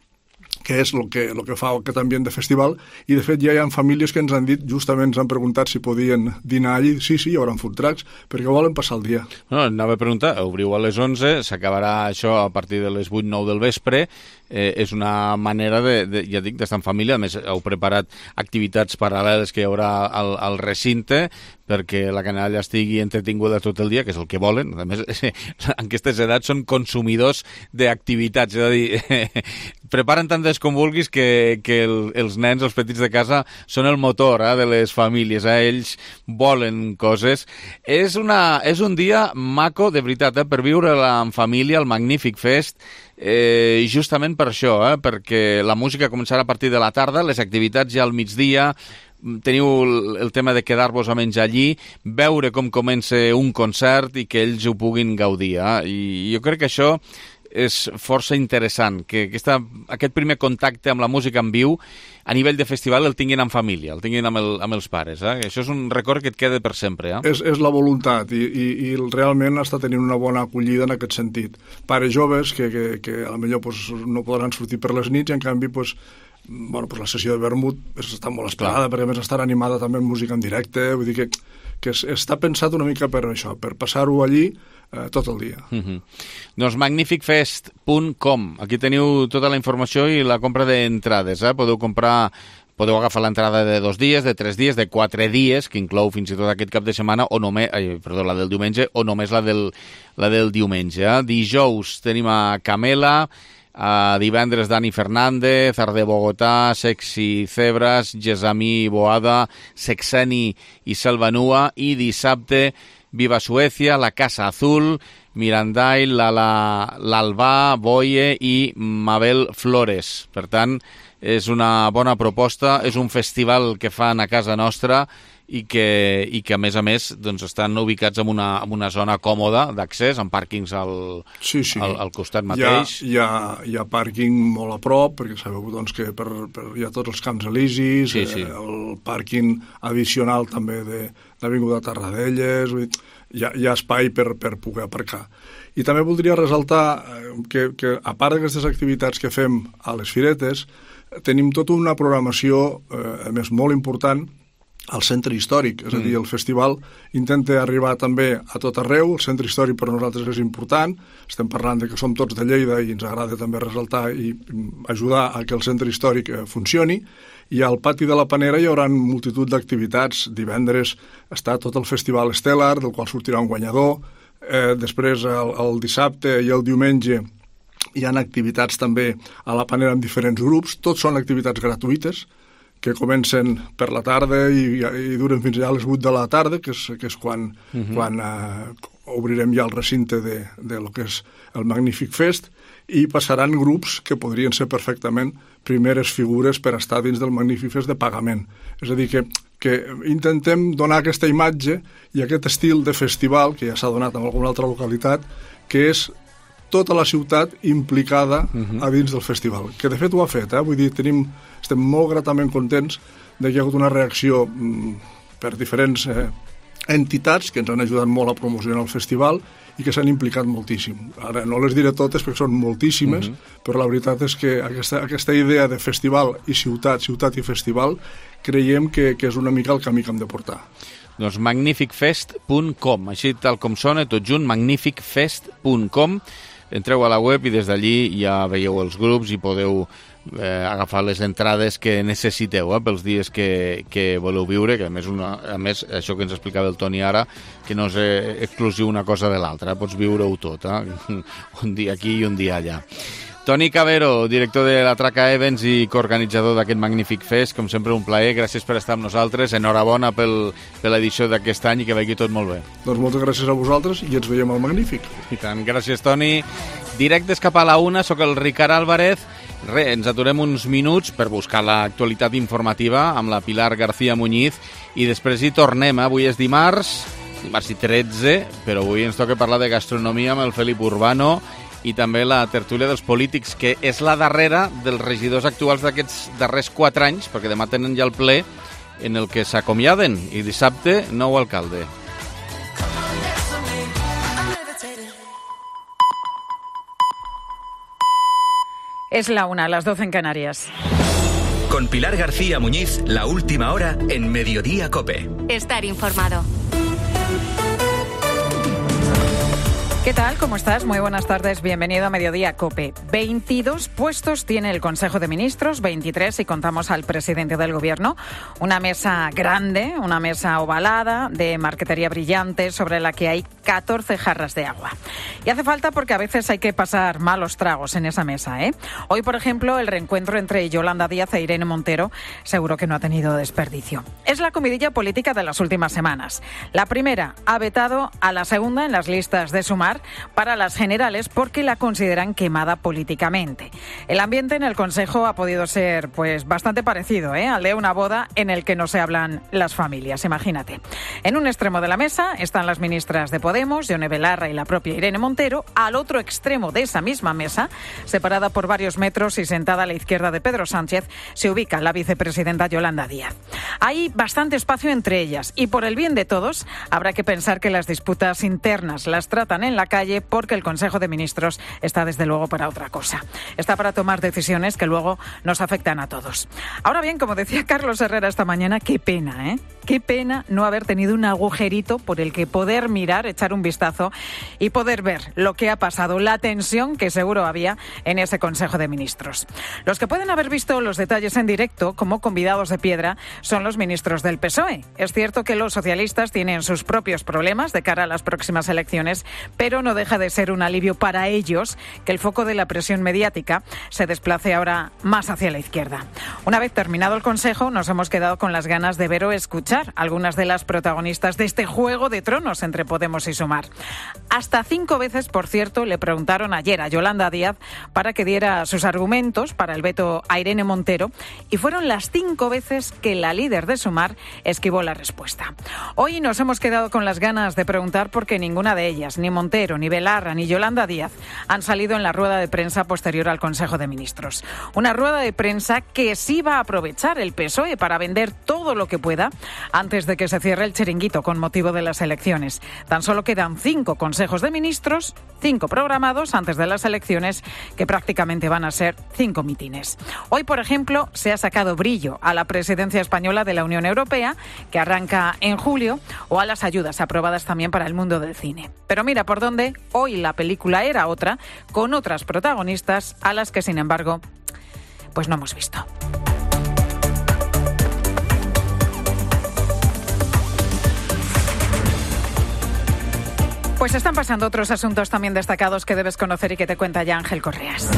que és el que fa aquest ambient de festival, i de fet ja hi ha famílies que ens han dit, justament ens han preguntat si podien dinar allí, sí, hi haurà food trucks, perquè volen passar el dia. No, anava a preguntar, obriu a les 11, s'acabarà això a partir de les 8-9 del vespre, és una manera ja dic, d'estar en família, a més heu preparat activitats paral·leles que hi haurà al recinte, perquè la canalla estigui entretinguda tot el dia, que és el que volen. A més, en aquestes edats són consumidors d'activitats, és a dir, preparen tantes com vulguis que els nens, els petits de casa, són el motor de les famílies, ells volen coses. És un dia maco, de veritat, per viure-la en família, el Magnífic Fest, justament per això, perquè la música començarà a partir de la tarda, les activitats ja al migdia, teniu el tema de quedar-vos a menjar allí, veure com comença un concert i que ells ho puguin gaudir. I jo crec que això és força interessant, que aquest primer contacte amb la música en viu a nivell de festival el tinguin en família, el tinguin amb els pares. Això és un record que et queda per sempre. És la voluntat i realment està tenint una bona acollida en aquest sentit. Pares joves que a lo millor no podran sortir per les nits i en canvi la sessió de vermut està molt esperada, perquè a més estarà animada també amb música en directe, vull dir que està pensat una mica per això, per passar-ho allí tot el dia. Doncs magnificfest.com, aquí teniu tota la informació i la compra d'entrades. Podeu agafar l'entrada de 2 dies, de 3 dies, de 4 dies, que inclou fins i tot aquest cap de setmana, la del diumenge, o només la del diumenge. Dijous tenim a Camela, divendres Dani Fernández, Arde Bogotà, Sexy Cebras, Gesami Boada, Sexeni i Selvanua, i dissabte Viva Suecia, La Casa Azul, Mirandai, l'Albà, Boye i Mabel Flores. Per tant, és una bona proposta, és un festival que fan a casa nostra i que a més doncs, estan ubicats en una zona còmoda d'accés, amb pàrquings al costat mateix. Hi ha pàrquing molt a prop, perquè sabeu doncs, que hi ha tots els Camps Elisis, el pàrquing addicional també de l'Avinguda Tarradellas, hi ha espai per poder aparcar. I també voldria ressaltar que a part d'aquestes activitats que fem a les firetes, tenim tota una programació, a més, molt important al centre històric, és a dir, el festival intenta arribar també a tot arreu, el centre històric per nosaltres és important, estem parlant de que som tots de Lleida i ens agrada també ressaltar i ajudar a que el centre històric funcioni, i al pati de la Panera hi haurà multitud d'activitats. Divendres està tot el festival Estel·lar, del qual sortirà un guanyador, després el dissabte i el diumenge hi ha activitats també a la Panera amb diferents grups, tots són activitats gratuïtes, que comencen per la tarda i duren fins a les 8 de la tarda, que és quan obrirem ja el recinte de lo que és el Magnífic Fest, i passaran grups que podrien ser perfectament primeres figures per estar dins del Magnífic Fest de pagament. És a dir, que intentem donar aquesta imatge i aquest estil de festival, que ja s'ha donat en alguna altra localitat, que és tota la ciutat implicada a dins del festival, que de fet ho ha fet, vull dir, estem molt gratament contents de que hi ha hagut una reacció per diferents entitats que ens han ajudat molt a promocionar el festival i que s'han implicat moltíssim. Ara no les diré totes perquè són moltíssimes, però la veritat és que aquesta idea de festival i ciutat i festival, creiem que és una mica el camí que hem de portar. Doncs magnificfest.com, així tal com sona, tot junt, magnificfest.com. Entreu a la web i des d'allí ja veieu els grups i podeu agafar les entrades que necessiteu pels dies que voleu viure, que a més això que ens explicava el Toni ara, que no és exclusiu una cosa de l'altra, pots viure-ho tot, un dia aquí i un dia allà. Toni Cavero, director de la Traca Events i coorganitzador d'aquest magnífic fest, com sempre un plaer, gràcies per estar amb nosaltres, enhorabona per l'edició d'aquest any i que vagi tot molt bé. Doncs moltes gràcies a vosaltres i ens veiem al Magnífic. I tant, gràcies Toni. Directes cap a la una, sóc el Ricard Álvarez. Ens aturem uns minuts per buscar l'actualitat informativa amb la Pilar García Muñiz i després hi tornem. Avui és dimarts i 13, però avui ens toca parlar de gastronomia amb el Felip Urbano i també la tertúlia dels polítics, que és la darrera dels regidors actuals d'aquests darrers 4 anys, perquè demà tenen ja el ple en el que s'acomiaden i dissabte nou alcalde. Es la 1, las 12 en Canarias. Con Pilar García Muñiz, la última hora en Mediodía COPE. Estar informado. ¿Qué tal? ¿Cómo estás? Muy buenas tardes. Bienvenido a Mediodía COPE. 22 puestos tiene el Consejo de Ministros, 23 si contamos al presidente del Gobierno. Una mesa grande, una mesa ovalada, de marquetería brillante, sobre la que hay 14 jarras de agua. Y hace falta porque a veces hay que pasar malos tragos en esa mesa, ¿eh? Hoy, por ejemplo, el reencuentro entre Yolanda Díaz e Irene Montero seguro que no ha tenido desperdicio. Es la comidilla política de las últimas semanas. La primera ha vetado a la segunda en las listas de Sumar para las generales porque la consideran quemada políticamente. El ambiente en el Consejo ha podido ser pues bastante parecido, al de una boda en el que no se hablan las familias, imagínate. En un extremo de la mesa están las ministras de Podemos, Yone Belarra y la propia Irene Montero. Al otro extremo de esa misma mesa, separada por varios metros y sentada a la izquierda de Pedro Sánchez, se ubica la vicepresidenta Yolanda Díaz. Hay bastante espacio entre ellas y por el bien de todos habrá que pensar que las disputas internas las tratan en la calle, porque el Consejo de Ministros está desde luego para otra cosa. Está para tomar decisiones que luego nos afectan a todos. Ahora bien, como decía Carlos Herrera esta mañana, qué pena, qué pena no haber tenido un agujerito por el que poder mirar, echar un vistazo y poder ver lo que ha pasado, la tensión que seguro había en ese Consejo de Ministros. Los que pueden haber visto los detalles en directo como convidados de piedra son los ministros del PSOE. Es cierto que los socialistas tienen sus propios problemas de cara a las próximas elecciones, pero no deja de ser un alivio para ellos que el foco de la presión mediática se desplace ahora más hacia la izquierda. Una vez terminado el Consejo, nos hemos quedado con las ganas de ver o escuchar algunas de las protagonistas de este juego de tronos entre Podemos y Sumar. Hasta 5 veces, por cierto, le preguntaron ayer a Yolanda Díaz para que diera sus argumentos para el veto a Irene Montero y fueron las 5 veces que la líder de Sumar esquivó la respuesta. Hoy nos hemos quedado con las ganas de preguntar porque ninguna de ellas, ni Montero, ni Belarra, ni Yolanda Díaz, han salido en la rueda de prensa posterior al Consejo de Ministros. Una rueda de prensa que sí va a aprovechar el PSOE para vender todo lo que pueda antes de que se cierre el chiringuito con motivo de las elecciones. Tan solo quedan 5 consejos de ministros, 5 programados antes de las elecciones, que prácticamente van a ser 5 mítines. Hoy, por ejemplo, se ha sacado brillo a la presidencia española de la Unión Europea, que arranca en julio, o a las ayudas aprobadas también para el mundo del cine. Pero mira por dónde, hoy la película era otra, con otras protagonistas a las que, sin embargo, pues no hemos visto. Pues están pasando otros asuntos también destacados que debes conocer y que te cuenta ya Ángel Correas.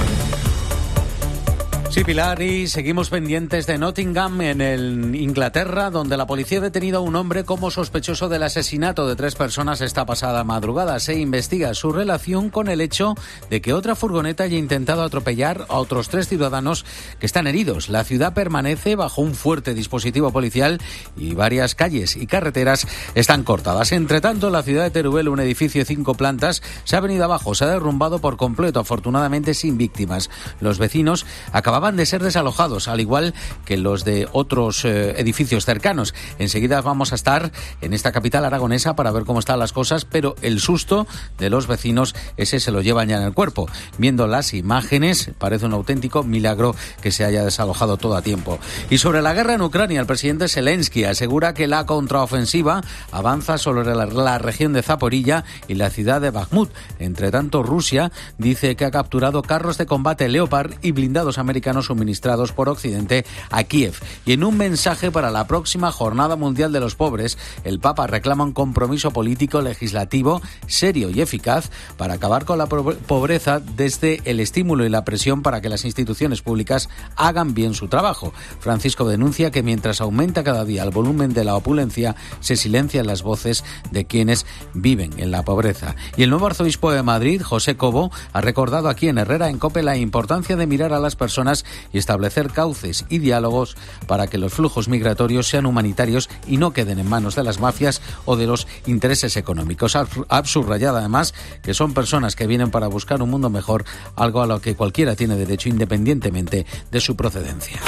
Sí, Pilar, y seguimos pendientes de Nottingham, en Inglaterra, donde la policía ha detenido a un hombre como sospechoso del asesinato de 3 personas esta pasada madrugada. Se investiga su relación con el hecho de que otra furgoneta haya intentado atropellar a otros 3 ciudadanos que están heridos. La ciudad permanece bajo un fuerte dispositivo policial y varias calles y carreteras están cortadas. Entre tanto, la ciudad de Teruel, un edificio de 5 plantas, se ha venido abajo, se ha derrumbado por completo, afortunadamente sin víctimas. Los vecinos acababan de ser desalojados, al igual que los de otros edificios cercanos. Enseguida vamos a estar en esta capital aragonesa para ver cómo están las cosas, pero el susto de los vecinos, ese se lo llevan ya en el cuerpo. Viendo las imágenes, parece un auténtico milagro que se haya desalojado todo a tiempo. Y sobre la guerra en Ucrania, el presidente Zelensky asegura que la contraofensiva avanza sobre la región de Zaporilla y la ciudad de Bakhmut. Entre tanto, Rusia dice que ha capturado carros de combate Leopard y blindados americanos cristianos suministrados por Occidente a Kiev. Y en un mensaje para la próxima Jornada Mundial de los Pobres, el Papa reclama un compromiso político legislativo serio y eficaz para acabar con la pobreza desde el estímulo y la presión para que las instituciones públicas hagan bien su trabajo. Francisco denuncia que mientras aumenta cada día el volumen de la opulencia, se silencian las voces de quienes viven en la pobreza. Y el nuevo arzobispo de Madrid, José Cobo, ha recordado aquí en Herrera en COPE la importancia de mirar a las personas y establecer cauces y diálogos para que los flujos migratorios sean humanitarios y no queden en manos de las mafias o de los intereses económicos. Ha subrayado además que son personas que vienen para buscar un mundo mejor, algo a lo que cualquiera tiene derecho independientemente de su procedencia.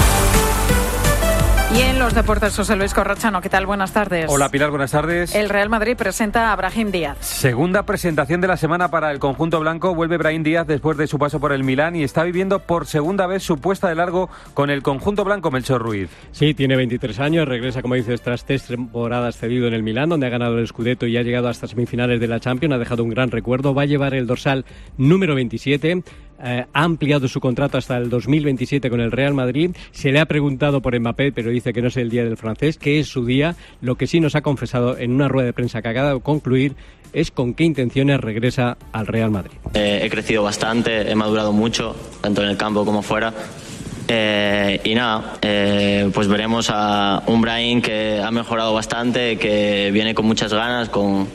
Y en los deportes, José Luis Corrochano, ¿qué tal? Buenas tardes. Hola Pilar, buenas tardes. El Real Madrid presenta a Brahim Díaz. Segunda presentación de la semana para el conjunto blanco. Vuelve Brahim Díaz después de su paso por el Milán y está viviendo por segunda vez su puesta de largo con el conjunto blanco, Melchor Ruiz. Sí, tiene 23 años, regresa, como dices, tras 3 temporadas cedido en el Milán, donde ha ganado el Scudetto y ha llegado hasta semifinales de la Champions, ha dejado un gran recuerdo, va a llevar el dorsal número 27. Ha ampliado su contrato hasta el 2027 con el Real Madrid. Se le ha preguntado por Mbappé, pero dice que no es el día del francés, que es su día. Lo que sí nos ha confesado en una rueda de prensa que acaba de concluir es con qué intenciones regresa al Real Madrid. He crecido bastante, he madurado mucho, tanto en el campo como fuera. Y nada, pues veremos a un Brahim que ha mejorado bastante, que viene con muchas ganas, con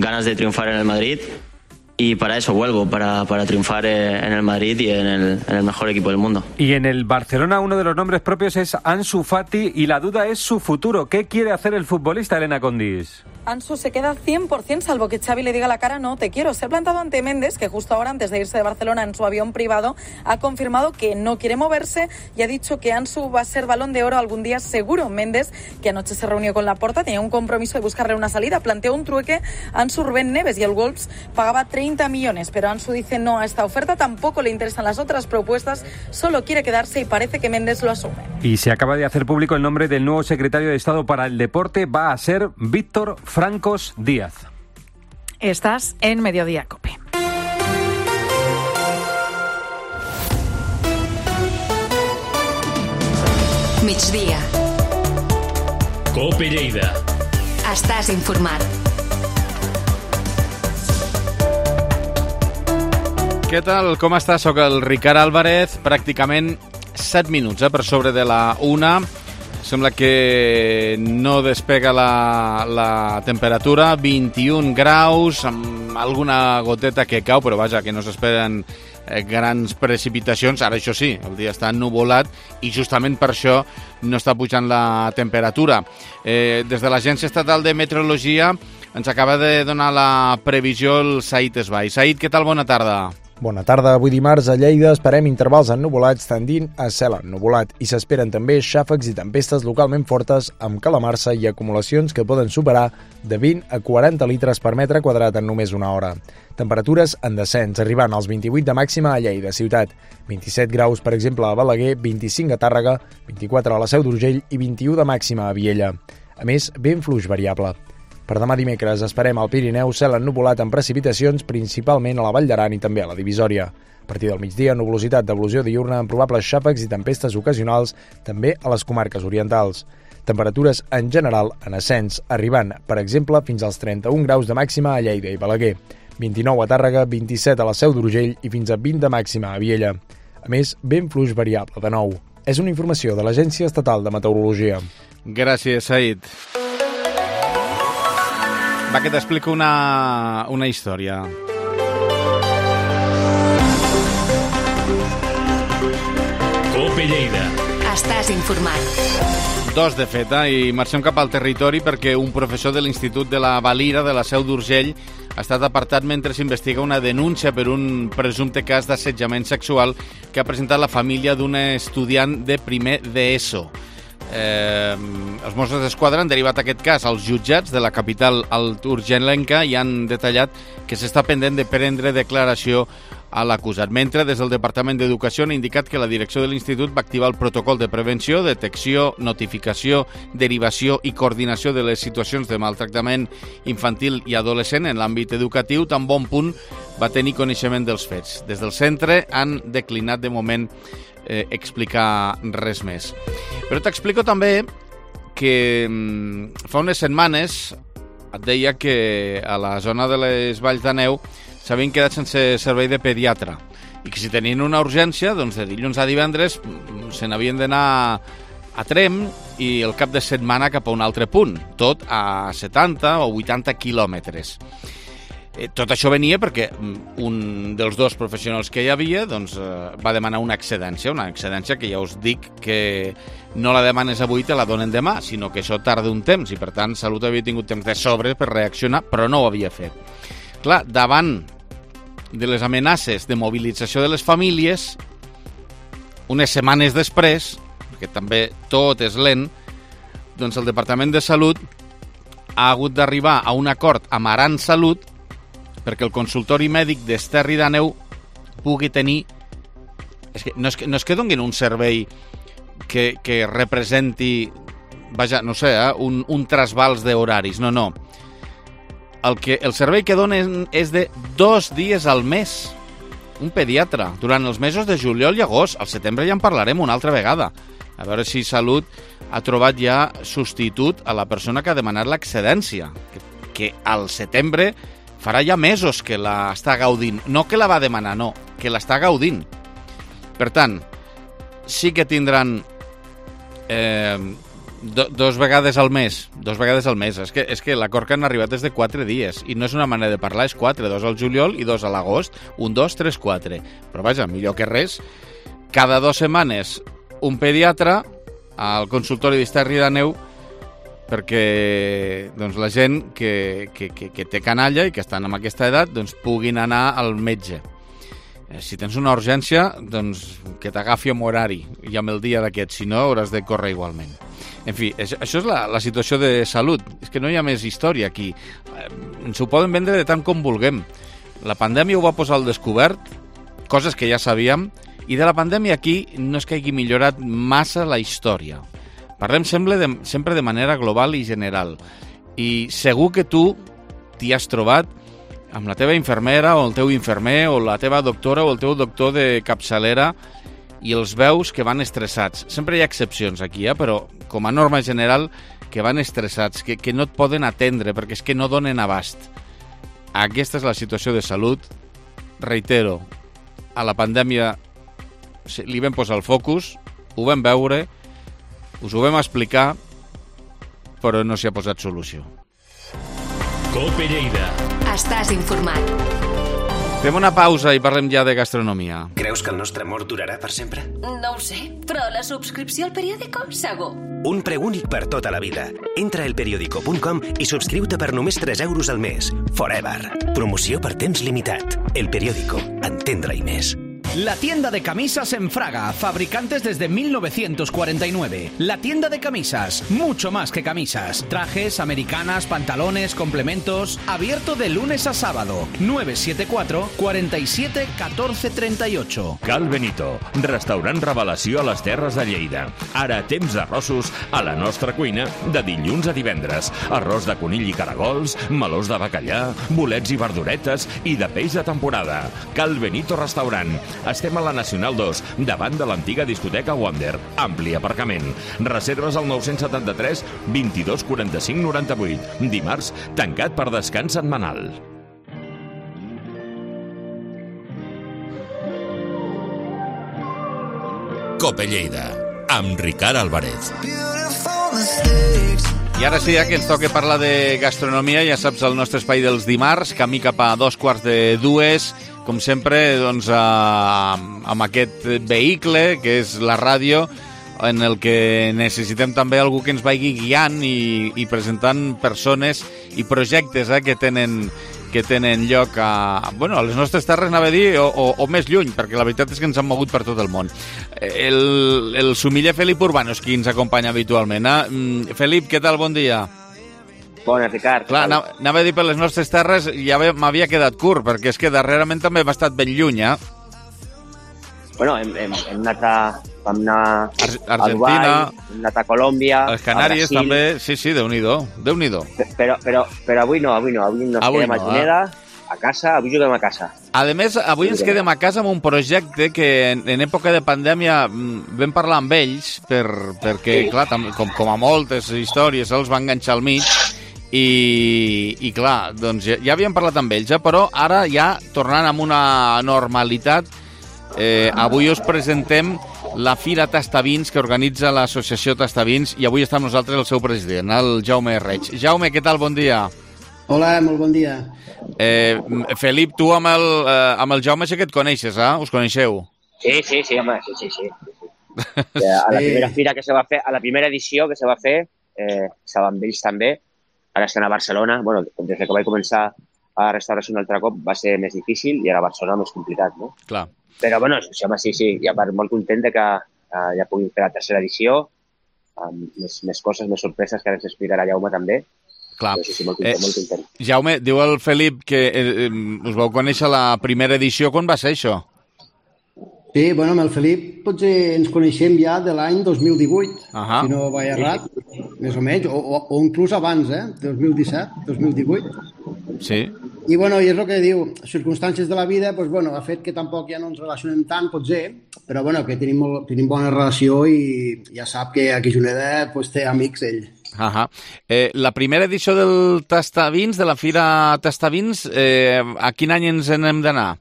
ganas de triunfar en el Madrid. Y para eso vuelvo, para triunfar en el Madrid y en el mejor equipo del mundo. Y en el Barcelona uno de los nombres propios es Ansu Fati y la duda es su futuro. ¿Qué quiere hacer el futbolista, Elena Condis? Ansu se queda 100%, salvo que Xavi le diga a la cara no te quiero. Se ha plantado ante Méndez, que justo ahora, antes de irse de Barcelona en su avión privado, ha confirmado que no quiere moverse y ha dicho que Ansu va a ser Balón de Oro algún día seguro. Méndez, que anoche se reunió con Laporta, tenía un compromiso de buscarle una salida, planteó un trueque a Ansu Rubén Neves y el Wolves pagaba 30 millones, pero Ansu dice no a esta oferta, tampoco le interesan las otras propuestas, solo quiere quedarse y parece que Méndez lo asume. Y se acaba de hacer público el nombre del nuevo secretario de Estado para el Deporte, va a ser Víctor Francos Díaz. Estás en Mediodía COPE. Migdia. COPE Lleida. Estàs informat. Què tal? Com estàs? Soc el Ricard Álvarez, pràcticament 7 minuts per sobre de la 1. Sembla que no despega la temperatura, 21 graus, amb alguna goteta que cau, però vaja, que no s'esperen grans precipitacions. Ara, això sí, el dia està ennuvolat i justament per això no està pujant la temperatura. Des de l'Agència Estatal de Meteorologia ens acaba de donar la previsió el Said Esbai. Said, què tal? Bona tarda. Bona tarda. Avui dimarts a Lleida esperem intervals ennuvolats tendint a cel ennuvolat i s'esperen també xàfecs i tempestes localment fortes amb calamarsa i acumulacions que poden superar de 20 a 40 litres per metre quadrat en només una hora. Temperatures en descens, arribant als 28 de màxima a Lleida ciutat, 27 graus, per exemple, a Balaguer, 25 a Tàrrega, 24 a la Seu d'Urgell i 21 de màxima a Viella. A més, vent fluix variable. Per demà dimecres esperem al Pirineu cel ennuvolat amb precipitacions principalment a la Vall d'Aran i també a la Divisòria. A partir del migdia, nuvolositat d'evolució diürna amb probables xàfecs i tempestes ocasionals també a les comarques orientals. Temperatures en general en ascens, arribant, per exemple, fins als 31 graus de màxima a Lleida i Balaguer, 29 a Tàrrega, 27 a la Seu d'Urgell i fins a 20 de màxima a Viella. A més, vent fluix variable de nou. És una informació de l'Agència Estatal de Meteorologia. Gràcies, Said. Va, que t'explico una història. COPE Lleida. Estàs informat. Dos, de fet, i marxem cap al territori perquè un professor de l'Institut de la Valira de la Seu d'Urgell ha estat apartat mentre s'investiga una denúncia per un presumpte cas d'assetjament sexual que ha presentat la família d'un estudiant de primer d'ESO. Els Mossos d'Esquadra han derivat aquest cas als jutjats de la capital urgellenca i han detallat que s'està pendent de prendre declaració a l'acusat. Mentre, des del Departament d'Educació han indicat que la direcció de l'Institut va activar el protocol de prevenció, detecció, notificació, derivació i coordinació de les situacions de maltractament infantil i adolescent en l'àmbit educatiu, tan bon punt va tenir coneixement dels fets. Des del centre han declinat de moment explicar res més. Però t'explico també que fa unes setmanes et deia que a la zona de les Valls de Neu s'havien quedat sense servei de pediatre i que si tenien una urgència, doncs de dilluns a divendres se n'havien d'anar a Tremp i el cap de setmana cap a un altre punt, tot a 70 o 80 quilòmetres. Tot això venia perquè un dels dos professionals que hi havia doncs, va demanar una excedència que ja us dic que no la demanes avui, te la donen demà, sinó que això tarda un temps i per tant Salut havia tingut temps de sobre per reaccionar, però no ho havia fet. Clar, davant de les amenaces de mobilització de les famílies, unes setmanes després, perquè també tot és lent, doncs el Departament de Salut ha hagut d'arribar a un acord amb Aran Salut perquè el consultori mèdic d'Esterri d'Àneu pugui tenir... No és que donin un servei que representi, vaja, no sé, un trasbals d'horaris, no. El servei que donen és de 2 dies al mes. Un pediatre, durant els mesos de juliol i agost. Al setembre ja en parlarem una altra vegada. A veure si Salut ha trobat ja substitut a la persona que ha demanat l'excedència, que al setembre farà ja mesos que la està gaudint. No que la va demanar, no, que l'està gaudint. Per tant, sí que tindran dos vegades al mes. És que l'acord que han arribat és de 4 dies i no és una manera de parlar, és 4, 2 al juliol i 2 a l'agost, 1, 2, 3, 4. Però vaja, millor que res, cada 2 setmanes un pediatre al consultori d'Esterri d'Àneu perquè doncs, la gent que té canalla i que estan en aquesta edat doncs, puguin anar al metge. Si tens una urgència, doncs que t'agafi amb horari i amb el dia d'aquest, si no hauràs de córrer igualment. En fi, això és la situació de Salut. És que no hi ha més història aquí. Ens ho poden vendre de tant com vulguem. La pandèmia ho va posar al descobert, coses que ja sabíem, i de la pandèmia aquí no és que hagi millorat massa la història. Parlem sempre de manera global i general. I segur que tu t'hi has trobat amb la teva infermera o el teu infermer o la teva doctora o el teu doctor de capçalera i els veus que van estressats. Sempre hi ha excepcions aquí, però com a norma general que van estressats, que no et poden atendre perquè és que no donen abast. Aquesta és la situació de Salut. Reitero, a la pandèmia li vam posar el focus, ho vam veure, us ho vam explicar, però no s'hi ha posat solució. COPE Lleida. Estàs informat. Fem una pausa i parlem ja de gastronomia. Creus que el nostre amor durarà per sempre? No ho sé, però la subscripció al periòdico, segur. Un preu únic per tota la vida. Entra a elperiodico.com i subscriu-te per només 3 euros al mes. Forever. Promoció per temps limitat. El Periódico. Entendre-hi més. La tienda de camisas en Fraga, fabricantes desde 1949. La tienda de camisas, mucho más que camisas. Trajes, americanas, pantalones, complementos. Abierto de lunes a sábado. 974 47 14 38. Cal Benito, restaurant revelació a les Terres de Lleida. Ara temps d'arrossos a la nostra cuina de dilluns a divendres. Arròs de conill i caragols, melós de bacallà, bolets i verduretes i de peix de temporada. Cal Benito Restaurant. Estem a la Nacional 2, davant de l'antiga discoteca Wonder. Ampli aparcament. Reserves al 973 22 45 98. Dimarts, tancat per descans setmanal. COPE Lleida, amb Ricard Álvarez. I ara sí, que ens toca parlar de gastronomia, ja saps, el nostre espai dels dimarts, camí cap a 2:45, com sempre, doncs, amb aquest vehicle, que és la ràdio, en el que necessitem també algú que ens vagi guiant i presentant persones i projectes que tenen lloc a les nostres terres, anava a dir, o més lluny, perquè la veritat és que ens han mogut per tot el món. El sumiller Felip Urbano és qui ens acompanya habitualment. Felip, què tal? Bon dia. Bona, Ricard. Clar, anava a dir per les nostres terres, ja m'havia quedat curt, perquè és que darrerament també hem estat ben lluny, Bueno, hem anat a Argentina, Dubai, hem anat a Colòmbia, a les Canàries també, sí, Déu-n'hi-do. Però avui no, avui nos quedem a Juneda a casa, avui juguem a casa. A més, avui ens quedem a casa amb un projecte que en època de pandèmia vam parlar amb ells, perquè, clar, com a moltes històries els van enganxar al mig, i clar, doncs ja havíem parlat amb ells, però ara ja tornant amb una normalitat, avui us presentem la Fira Tastavins que organitza l'associació Tastavins i avui està amb nosaltres el seu president, el Jaume Reig. Jaume, què tal? Bon dia. Hola, molt bon dia. Felip, tu amb el Jaume sé que et coneixes, Us coneixeu? Sí, home, sí. A la primera fira que se va fer, a la primera edició que se va fer, estava amb ells també, ara estan a Barcelona. Bueno, des que vaig començar a la restauració un altre cop va ser més difícil i ara a Barcelona més complicat, no? Clar. Però, bueno, sí, i a part molt content que ja puguin fer la tercera edició, amb més coses, més sorpreses que ara ens explicarà Jaume també. Clar. Però sí, molt content. Jaume, diu el Felip que us vau conèixer la primera edició. Quan va ser això? Sí, bueno, amb el Felip potser ens coneixem ja de l'any 2018, si no vaig errat, més o menys, o inclús abans, 2017, 2018. Sí. I, bueno, i és el que diu, circumstàncies de la vida, doncs, bueno, ha fet que tampoc ja no ens relacionem tant, potser, però, bueno, que tenim bona relació i ja sap que aquí a Juneda doncs, té amics ell. La primera edició del Tastavins, de la Fira Tastavins, a quin any ens n'hem d'anar?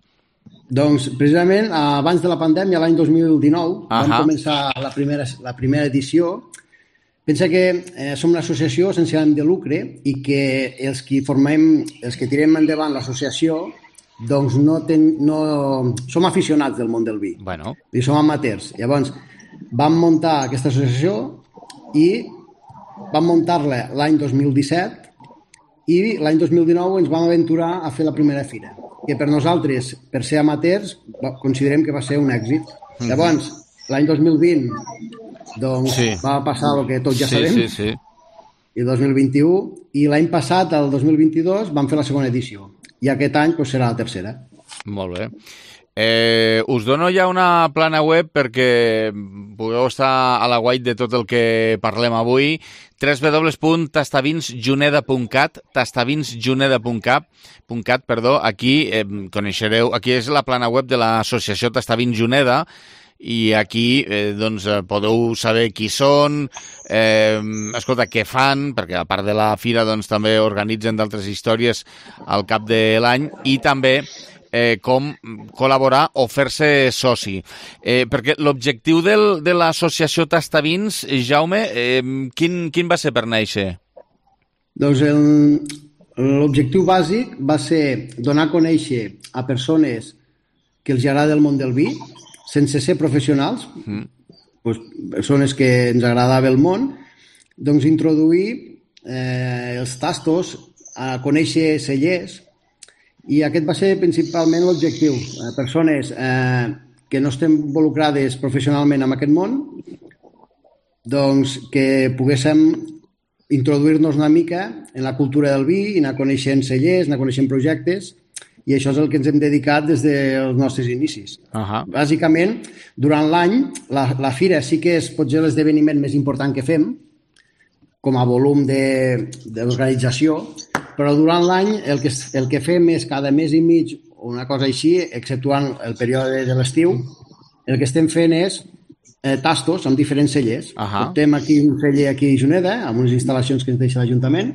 Doncs, precisament, abans de la pandèmia, l'any 2019, vam començar la primera edició. Pensa que som una associació sense ànim de lucre i que els que tirem endavant l'associació doncs no som aficionats del món del vi. Bueno. I som amateurs. Llavors, vam muntar aquesta associació i vam muntar-la l'any 2017 i l'any 2019 ens vam aventurar a fer la primera fira, que per nosaltres, per ser amateurs, considerem que va ser un èxit. Llavors, l'any 2020 doncs va passar el que tots ja sabem, i el 2021, i l'any passat, el 2022, vam fer la segona edició, i aquest any doncs, serà la tercera. Molt bé. Us dono ja una plana web perquè pugueu estar a la guait de tot el que parlem avui, www.tastavinsjuneda.cat, aquí coneixereu, aquí és la plana web de l'associació Tastavins Juneda, i aquí doncs, podeu saber qui són, escolta, què fan, perquè a part de la fira doncs, també organitzen d'altres històries al cap de l'any, i també com col·laborar o fer-se soci. Perquè l'objectiu de l'associació Tastavins, Jaume, quin va ser per néixer? Doncs l'objectiu bàsic va ser donar a conèixer a persones que els agrada el món del vi, sense ser professionals, doncs, persones que ens agradava el món, doncs introduir els tastos, a conèixer cellers, i aquest va ser principalment l'objectiu. Persones que no estem involucrades professionalment en aquest món, doncs que poguéssim introduir-nos una mica en la cultura del vi, anar coneixent cellers, anar coneixent projectes, i això és el que ens hem dedicat des dels nostres inicis. Bàsicament, durant l'any, la fira sí que és potser l'esdeveniment més important que fem, com a volum d'organització, però durant l'any el que fem és cada mes i mig, o una cosa així, exceptuant el període de l'estiu, el que estem fent és tastos amb diferents cellers. Portem aquí un celler aquí a Juneda, amb unes instal·lacions que ens deixa l'Ajuntament,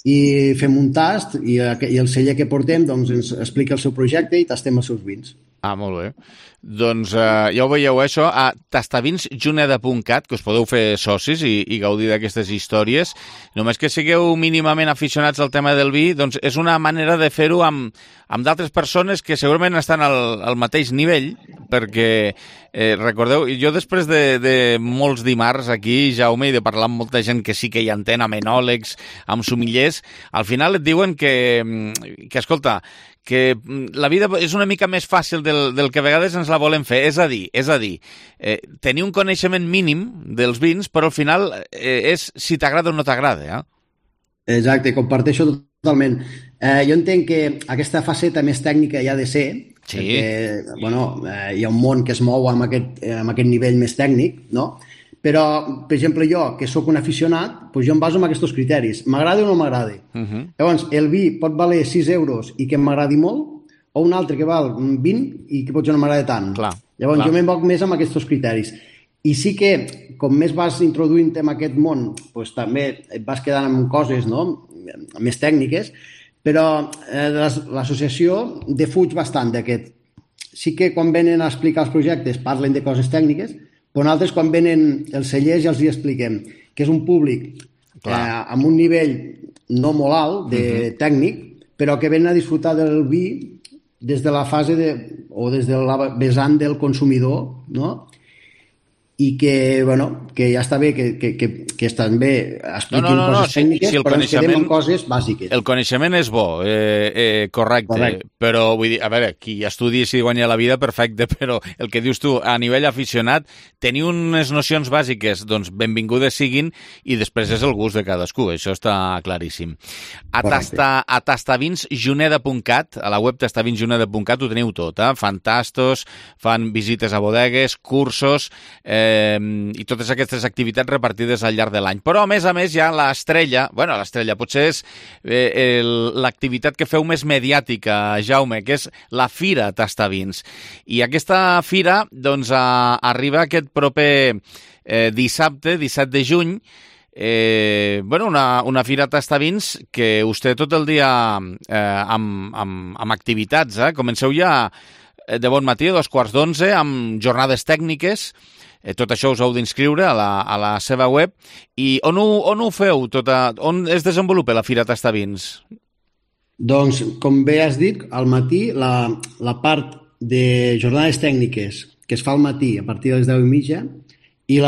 i fem un tast i el celler que portem doncs, ens explica el seu projecte i tastem els seus vins. Molt bé. Doncs ja ho veieu, això, a tastavinsjuneda.cat, que us podeu fer socis i gaudir d'aquestes històries. Només que sigueu mínimament aficionats al tema del vi, doncs és una manera de fer-ho amb d'altres persones que segurament estan al mateix nivell, perquè recordeu, jo després de molts dimarts aquí, Jaume, i de parlar amb molta gent que sí que hi entén, amb enòlegs, amb sommeliers, al final et diuen que escolta, que la vida és una mica més fàcil del que a vegades ens la volem fer. És a dir, tenir un coneixement mínim dels vins, però al final és si t'agrada o no t'agrada. Exacte, comparteixo totalment. Jo entenc que aquesta faceta més tècnica hi ha de ser, perquè hi ha un món que es mou amb aquest nivell més tècnic, no? Però, per exemple, jo, que sóc un aficionat, doncs jo em baso en aquests criteris. M'agrada o no m'agrada? Llavors, el vi pot valer 6 euros i que m'agradi molt, o un altre que val 20 i que potser no m'agrada tant. Llavors, jo m'envoc més amb aquests criteris. I sí que, com més vas introduint en aquest món, doncs també et vas quedant amb coses, no?, més tècniques, però l'associació defuig bastant d'aquest. Sí que quan venen a explicar els projectes parlen de coses tècniques, però altres quan venen els cellers ja els hi expliquem que és un públic amb un nivell no molt alt de tècnic, però que venen a disfrutar del vi des de la fase o des de la vessant del consumidor, no?, i que, bueno, que ja està bé que estan bé expliquin coses tècniques, però ens quedem amb coses bàsiques. El coneixement és bo, correcte, però vull dir, a veure, qui estudi si guanya la vida, perfecte, però el que dius tu, a nivell aficionat, tenir unes nocions bàsiques, doncs benvingudes siguin, i després és el gust de cadascú, això està claríssim. A tastavinsjuneda.cat, a la web tastavinsjuneda.cat ho teniu tot, fan tastos, fan visites a bodegues, cursos, i totes aquestes activitats repartides al llarg de l'any. Però, a més, hi ha l'estrella, potser és l'activitat que feu més mediàtica, Jaume, que és la Fira Tastavins. I aquesta fira, doncs, arriba aquest proper dissabte, 17 de juny, una fira Tastavins que us té tot el dia amb activitats. Comenceu ja de bon matí, a 11:15, amb jornades tècniques. Tot això us heu d'inscriure a la seva web. I on ho feu? On es desenvolupa la Fira Tastavins? Doncs, com bé has dit, al matí la part de jornades tècniques que es fa al matí a partir de les 10:30 i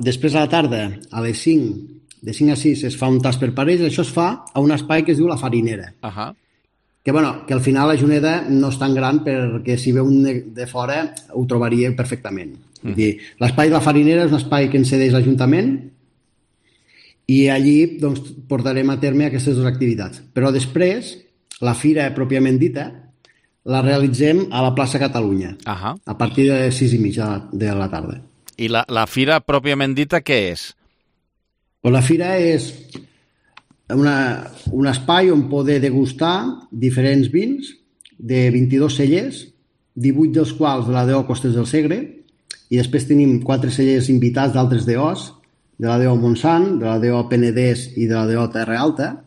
després a la tarda a les 5, de 5 a 6 es fa un tast per parells. Això es fa a un espai que es diu La Farinera. Que al final la Juneda no és tan gran perquè si ve un de fora ho trobaria perfectament. L'espai de La Farinera és un espai que ens cedeix l'Ajuntament i allí portarem a terme aquestes dues activitats. Però després, la fira pròpiament dita, la realitzem a la plaça Catalunya, a partir de les 6:30 de la tarda. I la fira pròpiament dita què és? La fira és un espai on poder degustar diferents vins de 22 cellers, 18 dels quals de la DO Costes del Segre, i després tenim 4 cellers invitats d'altres DOs, de la DO Montsant, de la DO Penedès i de la DO Terra Alta,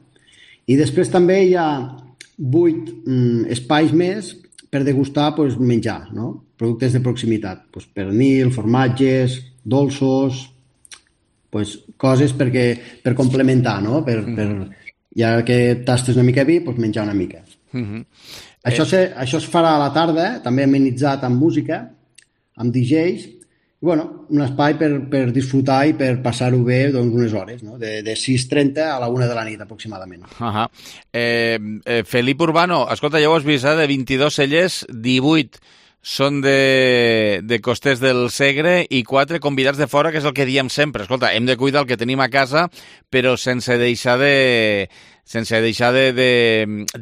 i després també hi ha 8 espais més per degustar menjar, productes de proximitat, pernil, formatges, dolços, coses per complementar, ja que tastes una mica vi, menjar una mica. Això es farà a la tarda, també amenitzat amb música, amb DJs, un espai per disfrutar i per passar-ho bé unes hores, de 6:30 a la 1 de la nit aproximadament. Felip Urbano, escolta, ja ho has vist, de 22 cellers, 18 són de Costers del Segre i 4 convidats de fora, que és el que diem sempre. Escolta, hem de cuidar el que tenim a casa, però sense deixar de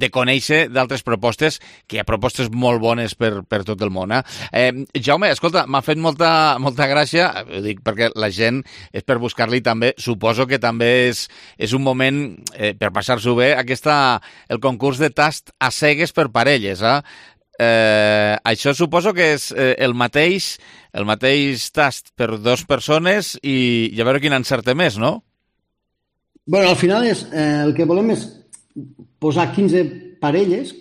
conèixer d'altres propostes, que hi ha propostes molt bones per tot el món. Jaume, escolta, m'ha fet molta gràcia, ho dic perquè la gent és per buscar-li també, suposo que també és un moment per passar-s'ho bé, el concurs de tast a cegues per parelles, això suposo que és el mateix tast per 2 persones i a veure quin encerte més, no? Al final el que volem és posar 15 parelles,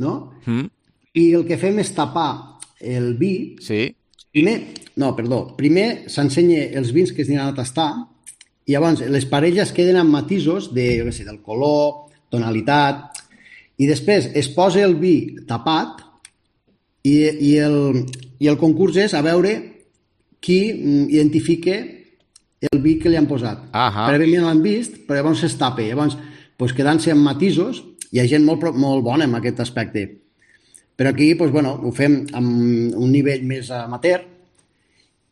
no? I el que fem és tapar el vi. Primer s'ensenya els vins que es aniran a tastar i llavors les parelles queden amb matisos del color, tonalitat, i després es posa el vi tapat i el concurs és a veure qui identifica el vi que li han posat. Prèviament l'han vist, però llavors es tapa. Llavors, quedant-se amb matisos, hi ha gent molt bona en aquest aspecte. Però aquí, ho fem amb un nivell més amateur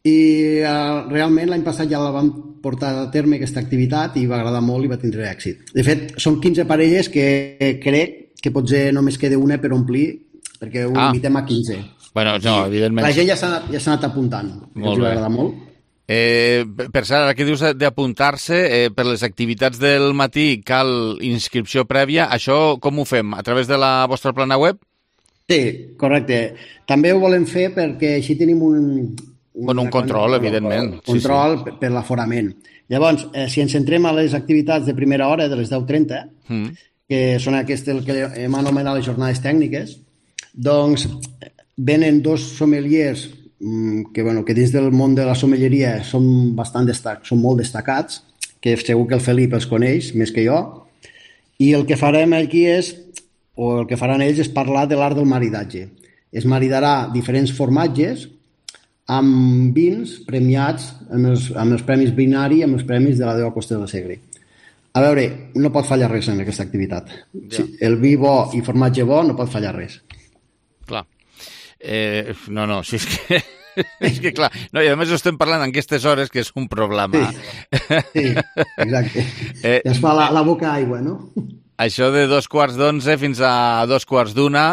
i realment l'any passat ja la vam portar a terme aquesta activitat i va agradar molt i va tindre èxit. De fet, són 15 parelles que crec que potser només queda una per omplir perquè ho limitem a 15. Evidentment. La gent ja s'ha anat apuntant. Els va agradar molt. Per cert, ara que dius d'apuntar-se, per les activitats del matí cal inscripció prèvia. Això com ho fem? A través de la vostra plana web? Sí, correcte. També ho volem fer perquè així tenim un control, evidentment. Control per l'aforament. Llavors, si ens centrem a les activitats de primera hora, de les 10:30, que són aquestes el que hem anomenat les jornades tècniques, doncs venen 2 sommeliers que dins del món de la sommelleria són molt destacats, que segur que el Felip els coneix més que jo, i el que farem aquí el que faran ells és parlar de l'art del maridatge. Es maridarà diferents formatges amb vins premiats amb els premis Binari i amb els premis de la Déu Costa del Segre. A veure, no pot fallar res en aquesta activitat. Ja. El vi bo i formatge bo no pot fallar res. Clar. Si és que... és que clar, no, i a més estem parlant en aquestes hores que és un problema. Sí, exacte. Es fa la boca aigua, no? Això de 11:15 fins a 1:15,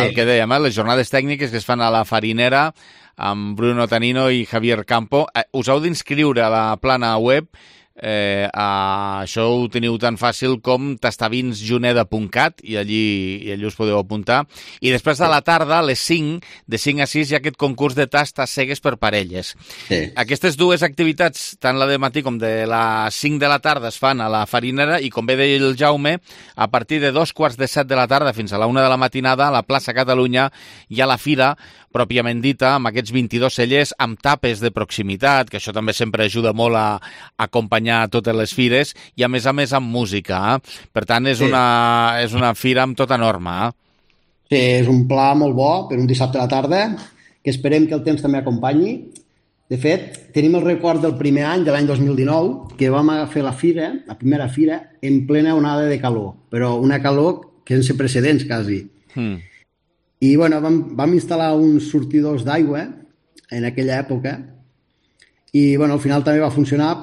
el que dèiem, les jornades tècniques que es fan a la Farinera amb Bruno Tanino i Javier Campo. Us heu d'inscriure a la plana web. Això ho teniu tan fàcil com tastavinsjuneda.cat i allí us podeu apuntar. I després de la tarda, a les 5, de 5 a 6, hi ha aquest concurs de tastes cegues per parelles. Sí. Aquestes dues activitats, tant la de matí com de les 5 de la tarda, es fan a la Farinera i, com bé deia el Jaume, a partir de 2:45 de la tarda fins a la 1 de la matinada, a la plaça Catalunya hi ha la fira pròpiament dita, amb aquests 22 cellers, amb tapes de proximitat, que això també sempre ajuda molt a acompanyar totes les fires, i a més amb música. Per tant, és una fira amb tota norma. Sí, és un pla molt bo per un dissabte a la tarda, que esperem que el temps també acompanyi. De fet, tenim el record del primer any, de l'any 2019, que vam fer la primera fira, en plena onada de calor, però una calor que sense precedents, quasi. I bueno, vam instal·lar uns sortidors d'aigua en aquella època i bueno, al final també va funcionar.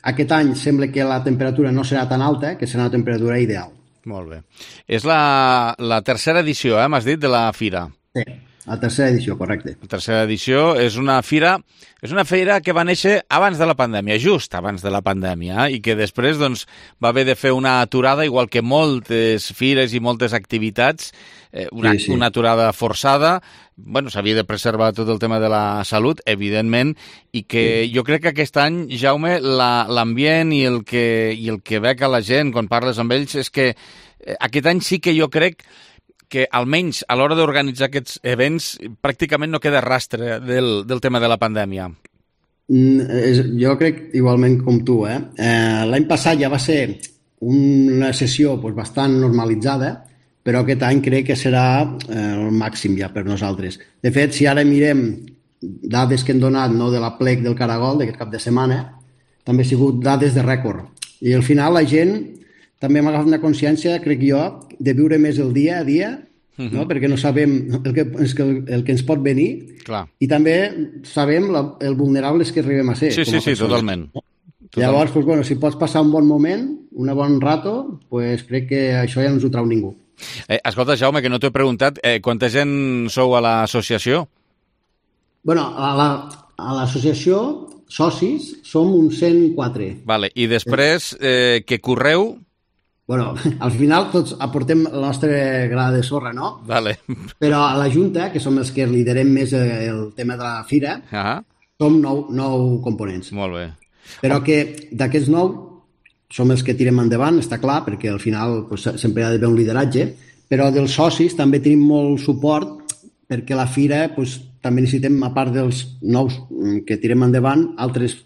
Aquest any sembla que la temperatura no serà tan alta, que serà una temperatura ideal. Molt bé. És la tercera edició, m'has dit, de la fira? Sí, la tercera edició, correcte. La tercera edició és una fira que va néixer abans de la pandèmia, just abans de la pandèmia, i que després doncs, va haver de fer una aturada, igual que moltes fires i moltes activitats, una aturada forçada. Bueno, s'havia de preservar tot el tema de la salut, evidentment, i que jo crec que aquest any, Jaume, l'ambient i el que veig a la gent quan parles amb ells és que aquest any sí que jo crec que almenys a l'hora d'organitzar aquests events pràcticament no queda rastre del tema de la pandèmia. Jo crec igualment com tu. L'any passat ja va ser una sessió bastant normalitzada, però aquest any crec que serà el màxim ja per nosaltres. De fet, si ara mirem dades que hem donat de la plec del Caragol d'aquest cap de setmana, també han sigut dades de rècord. I al final la gent també hem agafat una consciència, crec jo, de viure més el dia a dia, perquè no sabem el que ens pot venir. Clar. I també sabem el vulnerables que arribem a ser. Sí, totalment. Llavors, si pots passar un bon moment, un bon rato, crec que això ja no ens ho trau ningú. Escolta, Jaume, que no t'he preguntat, quanta gent sou a l'associació? Bueno, a l'associació, socis, som uns 104. Vale. I després, que correu? Bueno, al final tots aportem el nostre gra de sorra, no? Vale. Però a la Junta, que som els que liderem més el tema de la fira, som 9 components. Molt bé. Però que d'aquests 9 som els que tirem endavant, està clar, perquè al final sempre hi ha d'haver un lideratge, però dels socis també tenim molt suport perquè la fira també necessitem, a part dels 9 que tirem endavant, altres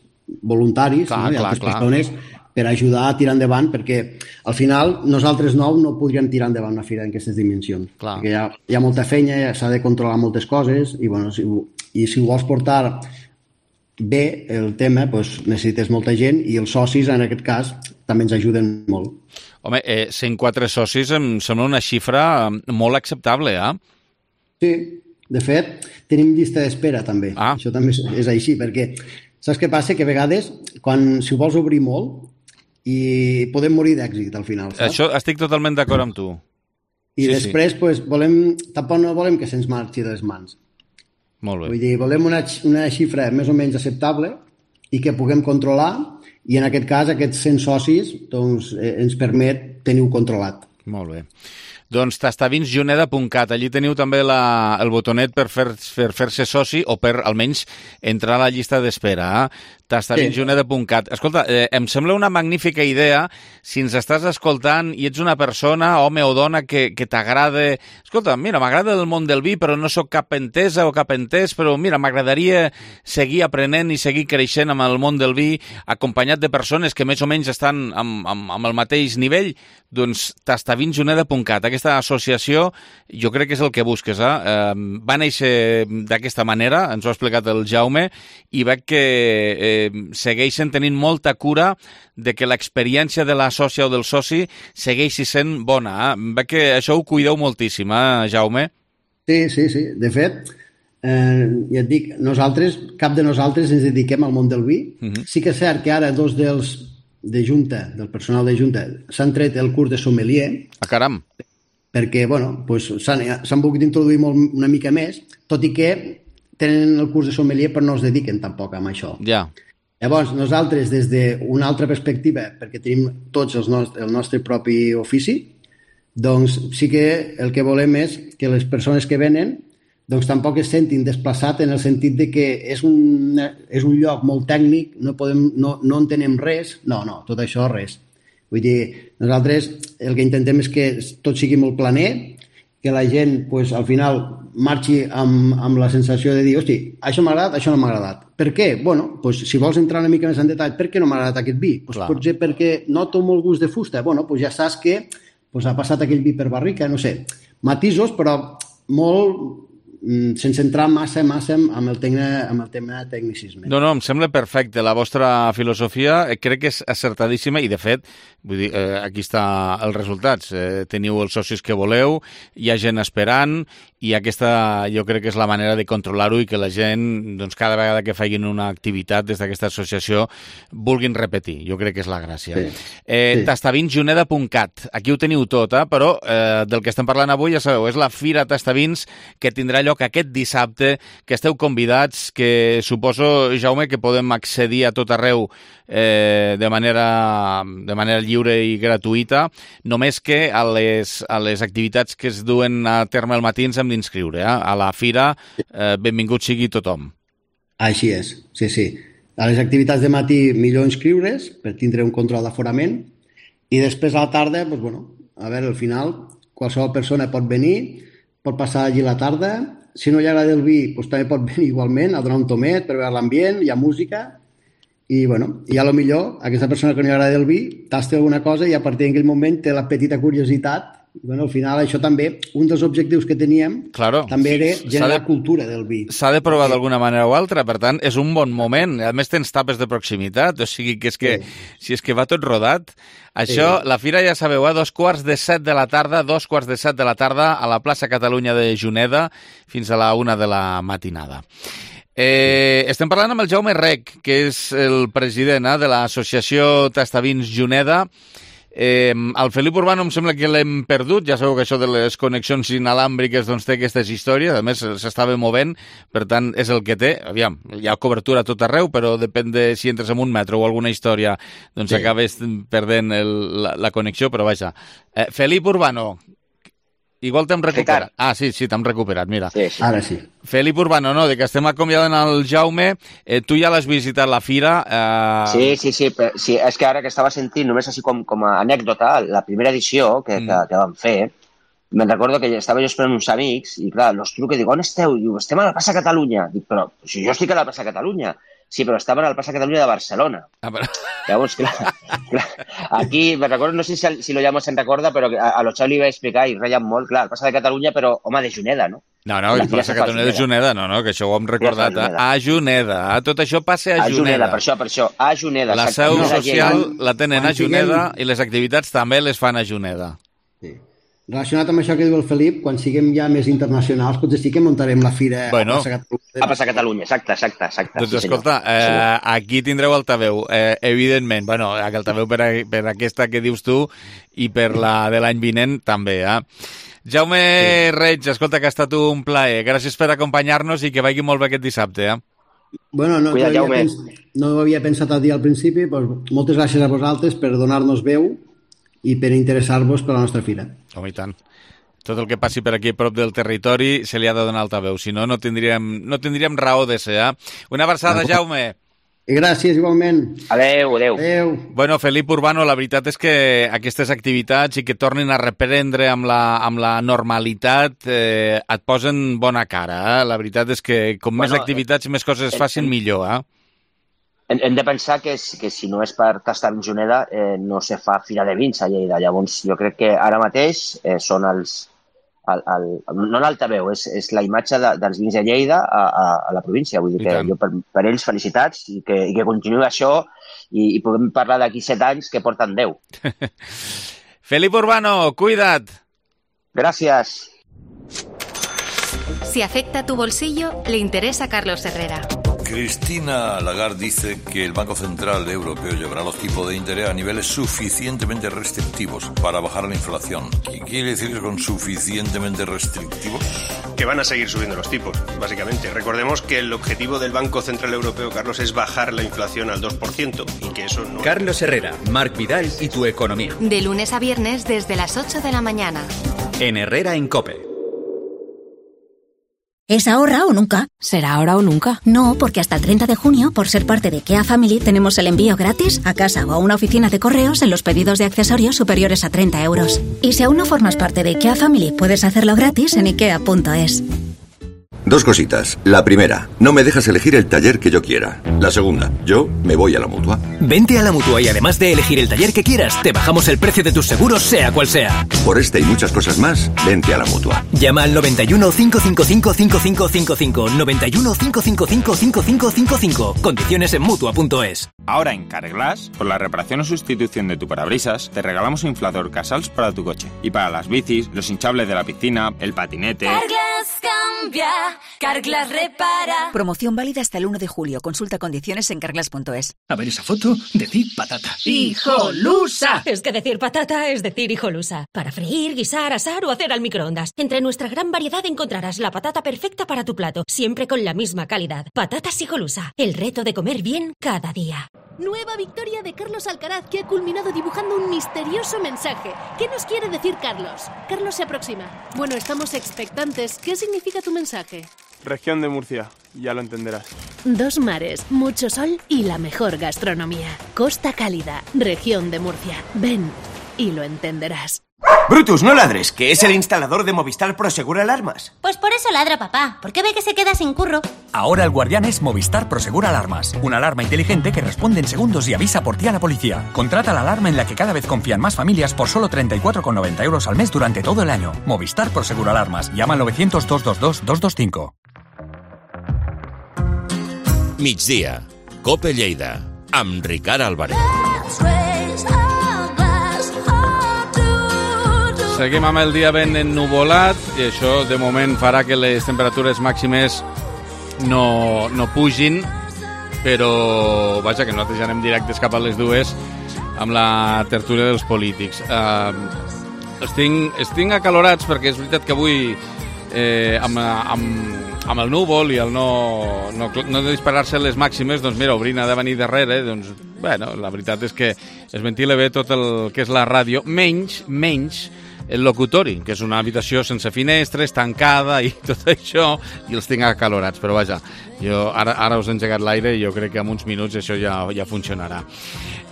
voluntaris i altres persones per ajudar a tirar endavant, perquè al final nosaltres 9 no podríem tirar endavant una fira en aquestes dimensions. Perquè hi ha molta feina, s'ha de controlar moltes coses i si ho vols portar bé el tema, necessites molta gent i els socis en aquest cas també ens ajuden molt. Home, 104 socis em sembla una xifra molt acceptable, Sí, de fet tenim llista d'espera també. Això també és així, perquè saps què passa? Que a vegades si ho vols obrir molt i podem morir d'èxit al final, saps? Això estic totalment d'acord amb tu. I després tampoc no volem que se'ns marxi de les mans. Molt bé. Vull dir, volem una xifra més o menys acceptable i que puguem controlar, i en aquest cas aquests 100 socis doncs, ens permet tenir-ho controlat. Molt bé. Doncs tastavinsjuneda.cat, allí teniu també el botonet per fer-se soci o per almenys entrar a la llista d'espera. tastavinsjuneda.cat. Escolta, em sembla una magnífica idea si ens estàs escoltant i ets una persona, home o dona, que t'agrada... Escolta, mira, m'agrada el món del vi, però no sóc cap entesa o cap entès, però mira, m'agradaria seguir aprenent i seguir creixent amb el món del vi, acompanyat de persones que més o menys estan amb el mateix nivell. Doncs tastavinsjuneda.cat. Aquesta associació jo crec que és el que busques. Va néixer d'aquesta manera, ens ho ha explicat el Jaume, i veig que segueixen tenint molta cura de que l'experiència de la sòcia o del soci segueixi sent bona. Veig que això ho cuideu moltíssim, Jaume? Sí. De fet, ja et dic, cap de nosaltres ens dediquem al món del vi. Sí que és cert que ara dos del personal de Junta, s'han tret el curs de sommelier. Caram! Perquè, s'han volgut introduir una mica més, tot i que tenen el curs de sommelier però no es dediquen tampoc a això. Ja. Llavors, nosaltres, des d'una altra perspectiva, perquè tenim tots el nostre propi ofici, doncs sí que el que volem és que les persones que venen doncs tampoc es sentin desplaçats en el sentit de que és un lloc molt tècnic, no entenem res. No, tot això res. Vull dir, nosaltres el que intentem és que tot sigui molt planer, que la gent al final marxi amb la sensació de dir, hosti, això m'ha agradat, això no m'ha agradat. Per què? Si vols entrar una mica més en detall, per què no m'ha agradat aquest vi? Potser perquè noto molt gust de fusta. Ja saps que ha passat aquell vi per barrica, no sé. Matisos, però molt sense entrar massa amb el tema tecnicisme. No, em sembla perfecte. La vostra filosofia crec que és acertadíssima i, de fet, vull dir, aquí està els resultats. Teniu els socis que voleu, hi ha gent esperant i aquesta jo crec que és la manera de controlar-ho i que la gent, doncs, cada vegada que facin una activitat des d'aquesta associació vulguin repetir. Jo crec que és la gràcia. Tastavinsjuneda.cat. Aquí ho teniu tot, però del que estem parlant avui, ja sabeu, és la Fira Tastavins que tindrà lloc aquest dissabte, que esteu convidats, que suposo, Jaume, que podem accedir a tot arreu de manera lliure i gratuïta, només que a les activitats que es duen a terme al matí ens hem d'inscriure. A la fira, benvingut sigui tothom. Així és, sí. A les activitats de matí millor inscriure's per tindre un control d'aforament i després a la tarda, al final, qualsevol persona pot venir, pot passar allí la tarda. Si no li agrada el vi, també pot venir igualment a donar un tomet per veure l'ambient, hi ha música i, a lo millor aquesta persona que no li agrada el vi tasta alguna cosa i a partir d'aquell moment té la petita curiositat. Al final això també, un dels objectius que teníem també era generar cultura del vi. S'ha de provar d'alguna manera o altra, per tant, és un bon moment. A més, tens tapes de proximitat, o sigui que si és que va tot rodat. Això, la fira, ja sabeu, a 2:45 de la tarda, 2:45 de la tarda, a la plaça Catalunya de Juneda, fins a la 1 de la matinada. Estem parlant amb el Jaume Rec, que és el president de l'associació Tastavins Juneda. El Felip Urbano em sembla que l'hem perdut, ja sabeu que això de les connexions inalàmbriques doncs té aquestes històries, a més s'estava movent, per tant és el que té. Aviam, hi ha cobertura a tot arreu, però depèn de si entres en un metro o alguna història, doncs acabes perdent la connexió, però vaja. Felip Urbano, igual t'hem recuperat. Sí, t'hem recuperat, mira. Sí. Ara sí. Felip Urbano, no, de que estem acomiadant el Jaume, tu ja l'has visitat la fira. Sí, és que ara que estava sentint, només així com a anècdota, la primera edició que vam fer, me'n recordo que estava jo esperant uns amics i, clar, els truco i dic, on esteu? Diu, estem a la plaça Catalunya. Dic, però si jo estic a la plaça Catalunya. Sí, però estaven al Plaça Catalunya de Barcelona. Llavors, clar, aquí, me recordo, no sé si lo llamo se'n recorda, però a lo Xavi li vaig explicar i reien molt, clar, el Plaça de Catalunya, però, home, de Juneda, no? No, el Plaça Catalunya de Juneda, no, que això ho hem recordat. A Juneda, tot això passa a Juneda. Per això, a Juneda. La seu social la tenen a Juneda i les activitats també les fan a Juneda. Sí. Relacionat amb això que diu el Felip, quan siguem ja més internacionals, potser sí que muntarem la fira a Plaça Catalunya. Exacte. Doncs escolta, aquí tindreu altaveu, evidentment. Altaveu per aquesta que dius tu i per la de l'any vinent també, Jaume Reig, escolta, que ha estat un plaer. Gràcies per acompanyar-nos i que vagi molt bé aquest dissabte, Bueno, no ho havia pensat a dir al principi, doncs moltes gràcies a vosaltres per donar-nos veu i per interessar-vos per la nostra fira. Home, i tant. Tot el que passi per aquí a prop del territori se li ha de donar altaveu, si no, no tindríem raó de ser. Una abraçada, Jaume. Gràcies, igualment. Adéu. Bueno, Felip Urbano, la veritat és que aquestes activitats i que tornin a reprendre amb la normalitat et posen bona cara. La veritat és que com més activitats i més coses es facin, millor. Hem de pensar que si no és per tastar Juneda no se fa fira de vins a Lleida. Llavors, jo crec que ara mateix són no l'altaveu, és la imatge dels vins de Lleida a la província. Vull dir que jo per ells felicitats i que continuï això i podem parlar d'aquí 7 anys que porten 10. Felip Urbano, cuida't. Gracias. Si afecta tu bolsillo, le interesa a Carlos Herrera. Cristina Lagarde dice que el Banco Central Europeo llevará los tipos de interés a niveles suficientemente restrictivos para bajar la inflación. ¿Qué quiere decir con suficientemente restrictivos? Que van a seguir subiendo los tipos, básicamente. Recordemos que el objetivo del Banco Central Europeo, Carlos, es bajar la inflación al 2% y que eso no... Carlos Herrera, Marc Vidal y tu economía. De lunes a viernes desde las 8 de la mañana. En Herrera en COPE. ¿Es ahora o nunca? ¿Será ahora o nunca? No, porque hasta el 30 de junio, por ser parte de IKEA Family, tenemos el envío gratis a casa o a una oficina de correos en los pedidos de accesorios superiores a 30 euros. Y si aún no formas parte de IKEA Family, puedes hacerlo gratis en ikea.es. 2 cositas. La primera, no me dejas elegir el taller que yo quiera. La segunda, yo me voy a la Mutua. Vente a la Mutua y además de elegir el taller que quieras, te bajamos el precio de tus seguros, sea cual sea. Por este y muchas cosas más, vente a la Mutua. Llama al 91 555 5555. 91 555 5555. Condiciones en Mutua.es. Ahora en Carglass, por la reparación o sustitución de tu parabrisas, te regalamos un inflador Casals para tu coche. Y para las bicis, los hinchables de la piscina, el patinete... Carglass cambia, Carglass repara. Promoción válida hasta el 1 de julio. Consulta condiciones en carglass.es. A ver esa foto, decir patata. ¡Hijolusa! Es que decir patata es decir hijolusa. Para freír, guisar, asar o hacer al microondas. Entre nuestra gran variedad encontrarás la patata perfecta para tu plato, siempre con la misma calidad. Patatas hijolusa, el reto de comer bien cada día. Nueva victoria de Carlos Alcaraz, que ha culminado dibujando un misterioso mensaje. ¿Qué nos quiere decir Carlos? Carlos se aproxima. Bueno, estamos expectantes. ¿Qué significa tu mensaje? Región de Murcia, ya lo entenderás. 2 mares, mucho sol y la mejor gastronomía. Costa Cálida, región de Murcia. Ven y lo entenderás. Brutus, no ladres, que es el instalador de Movistar Prosegur Alarmas. Pues por eso ladra papá, porque ve que se queda sin curro. Ahora el guardián es Movistar Prosegur Alarmas, una alarma inteligente que responde en segundos y avisa por ti a la policía. Contrata la alarma en la que cada vez confían más familias por solo 34,90 euros al mes durante todo el año. Movistar Prosegur Alarmas. Llama al 900 222 225. Migdia, COPE Lleida, amb Ricard Álvarez. Seguim amb el dia ben ennuvolat i això de moment farà que les temperatures màximes no pugin, però vaja, que nosaltres ja anem directes cap a les 2 amb la tertúlia dels polítics. Estic acalorats perquè és veritat que avui amb el núvol i el no disparar-se les màximes, doncs mira, obrint ha de venir darrere, doncs bueno, la veritat és que es ventila bé tot el que és la ràdio, menys el locutori, que és una habitació sense finestres, tancada i tot això, i els tinc acalorats, però vaja, jo ara us he engegat l'aire i jo crec que en uns minuts això ja funcionarà.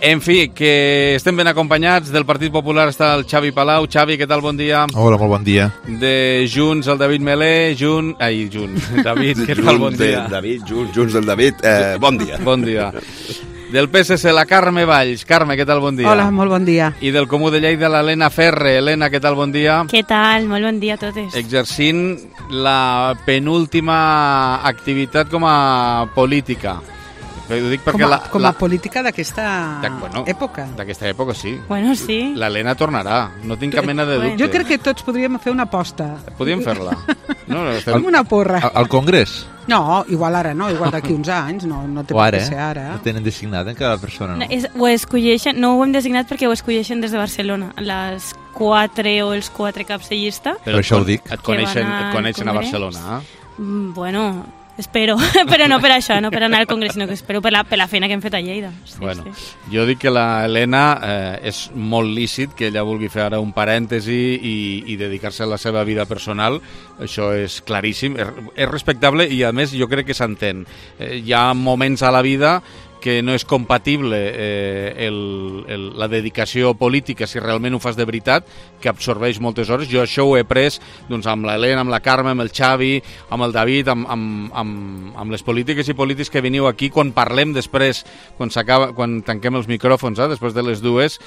En fi, que estem ben acompanyats. Del Partit Popular està el Xavi Palau. Xavi, què tal? Bon dia. Hola, molt bon dia. De Junts, el David Melé. David, què tal? Bon dia. Junts del David, bon dia. Bon dia. Del PSC, la Carme Valls. Carme, què tal? Bon dia. Hola, molt bon dia. I del Comú de Lleida, l'Helena Ferre. Helena, què tal? Bon dia. Què tal? Molt bon dia a totes. Exercint la penúltima activitat com a política. Ho dic perquè com a política d'aquesta època. D'aquesta època, sí. Bueno, sí. L'Helena tornarà, no tinc cap mena de dubte. Jo crec que tots podríem fer una aposta. Podríem fer-la. Com una porra. Al Congrés? No, igual ara no, igual d'aquí uns anys, no té per què ser ara. No tenen designat en cada persona, no? No ho hem designat perquè ho escolleixen des de Barcelona, les 4 o els 4 caps de llista. Però això ho dic. Et coneixen a Barcelona, Bueno, Espero, però no per això, no per anar al Congrés, sinó que espero per la feina que hem fet a Lleida. Bueno, jo dic que la Helena és molt lícit que ella vulgui fer ara un parèntesi i dedicar-se a la seva vida personal. Això és claríssim, és respectable i a més jo crec que s'entén. Hi ha moments a la vida que no és compatible la dedicació política, si realment ho fas de veritat, que absorbeix moltes hores. Jo això ho he pres doncs, amb l'Helena, amb la Carme, amb el Xavi, amb el David, amb les polítiques i polítics que veniu aquí. Quan parlem després, quan tanquem els micròfons, després de les 2,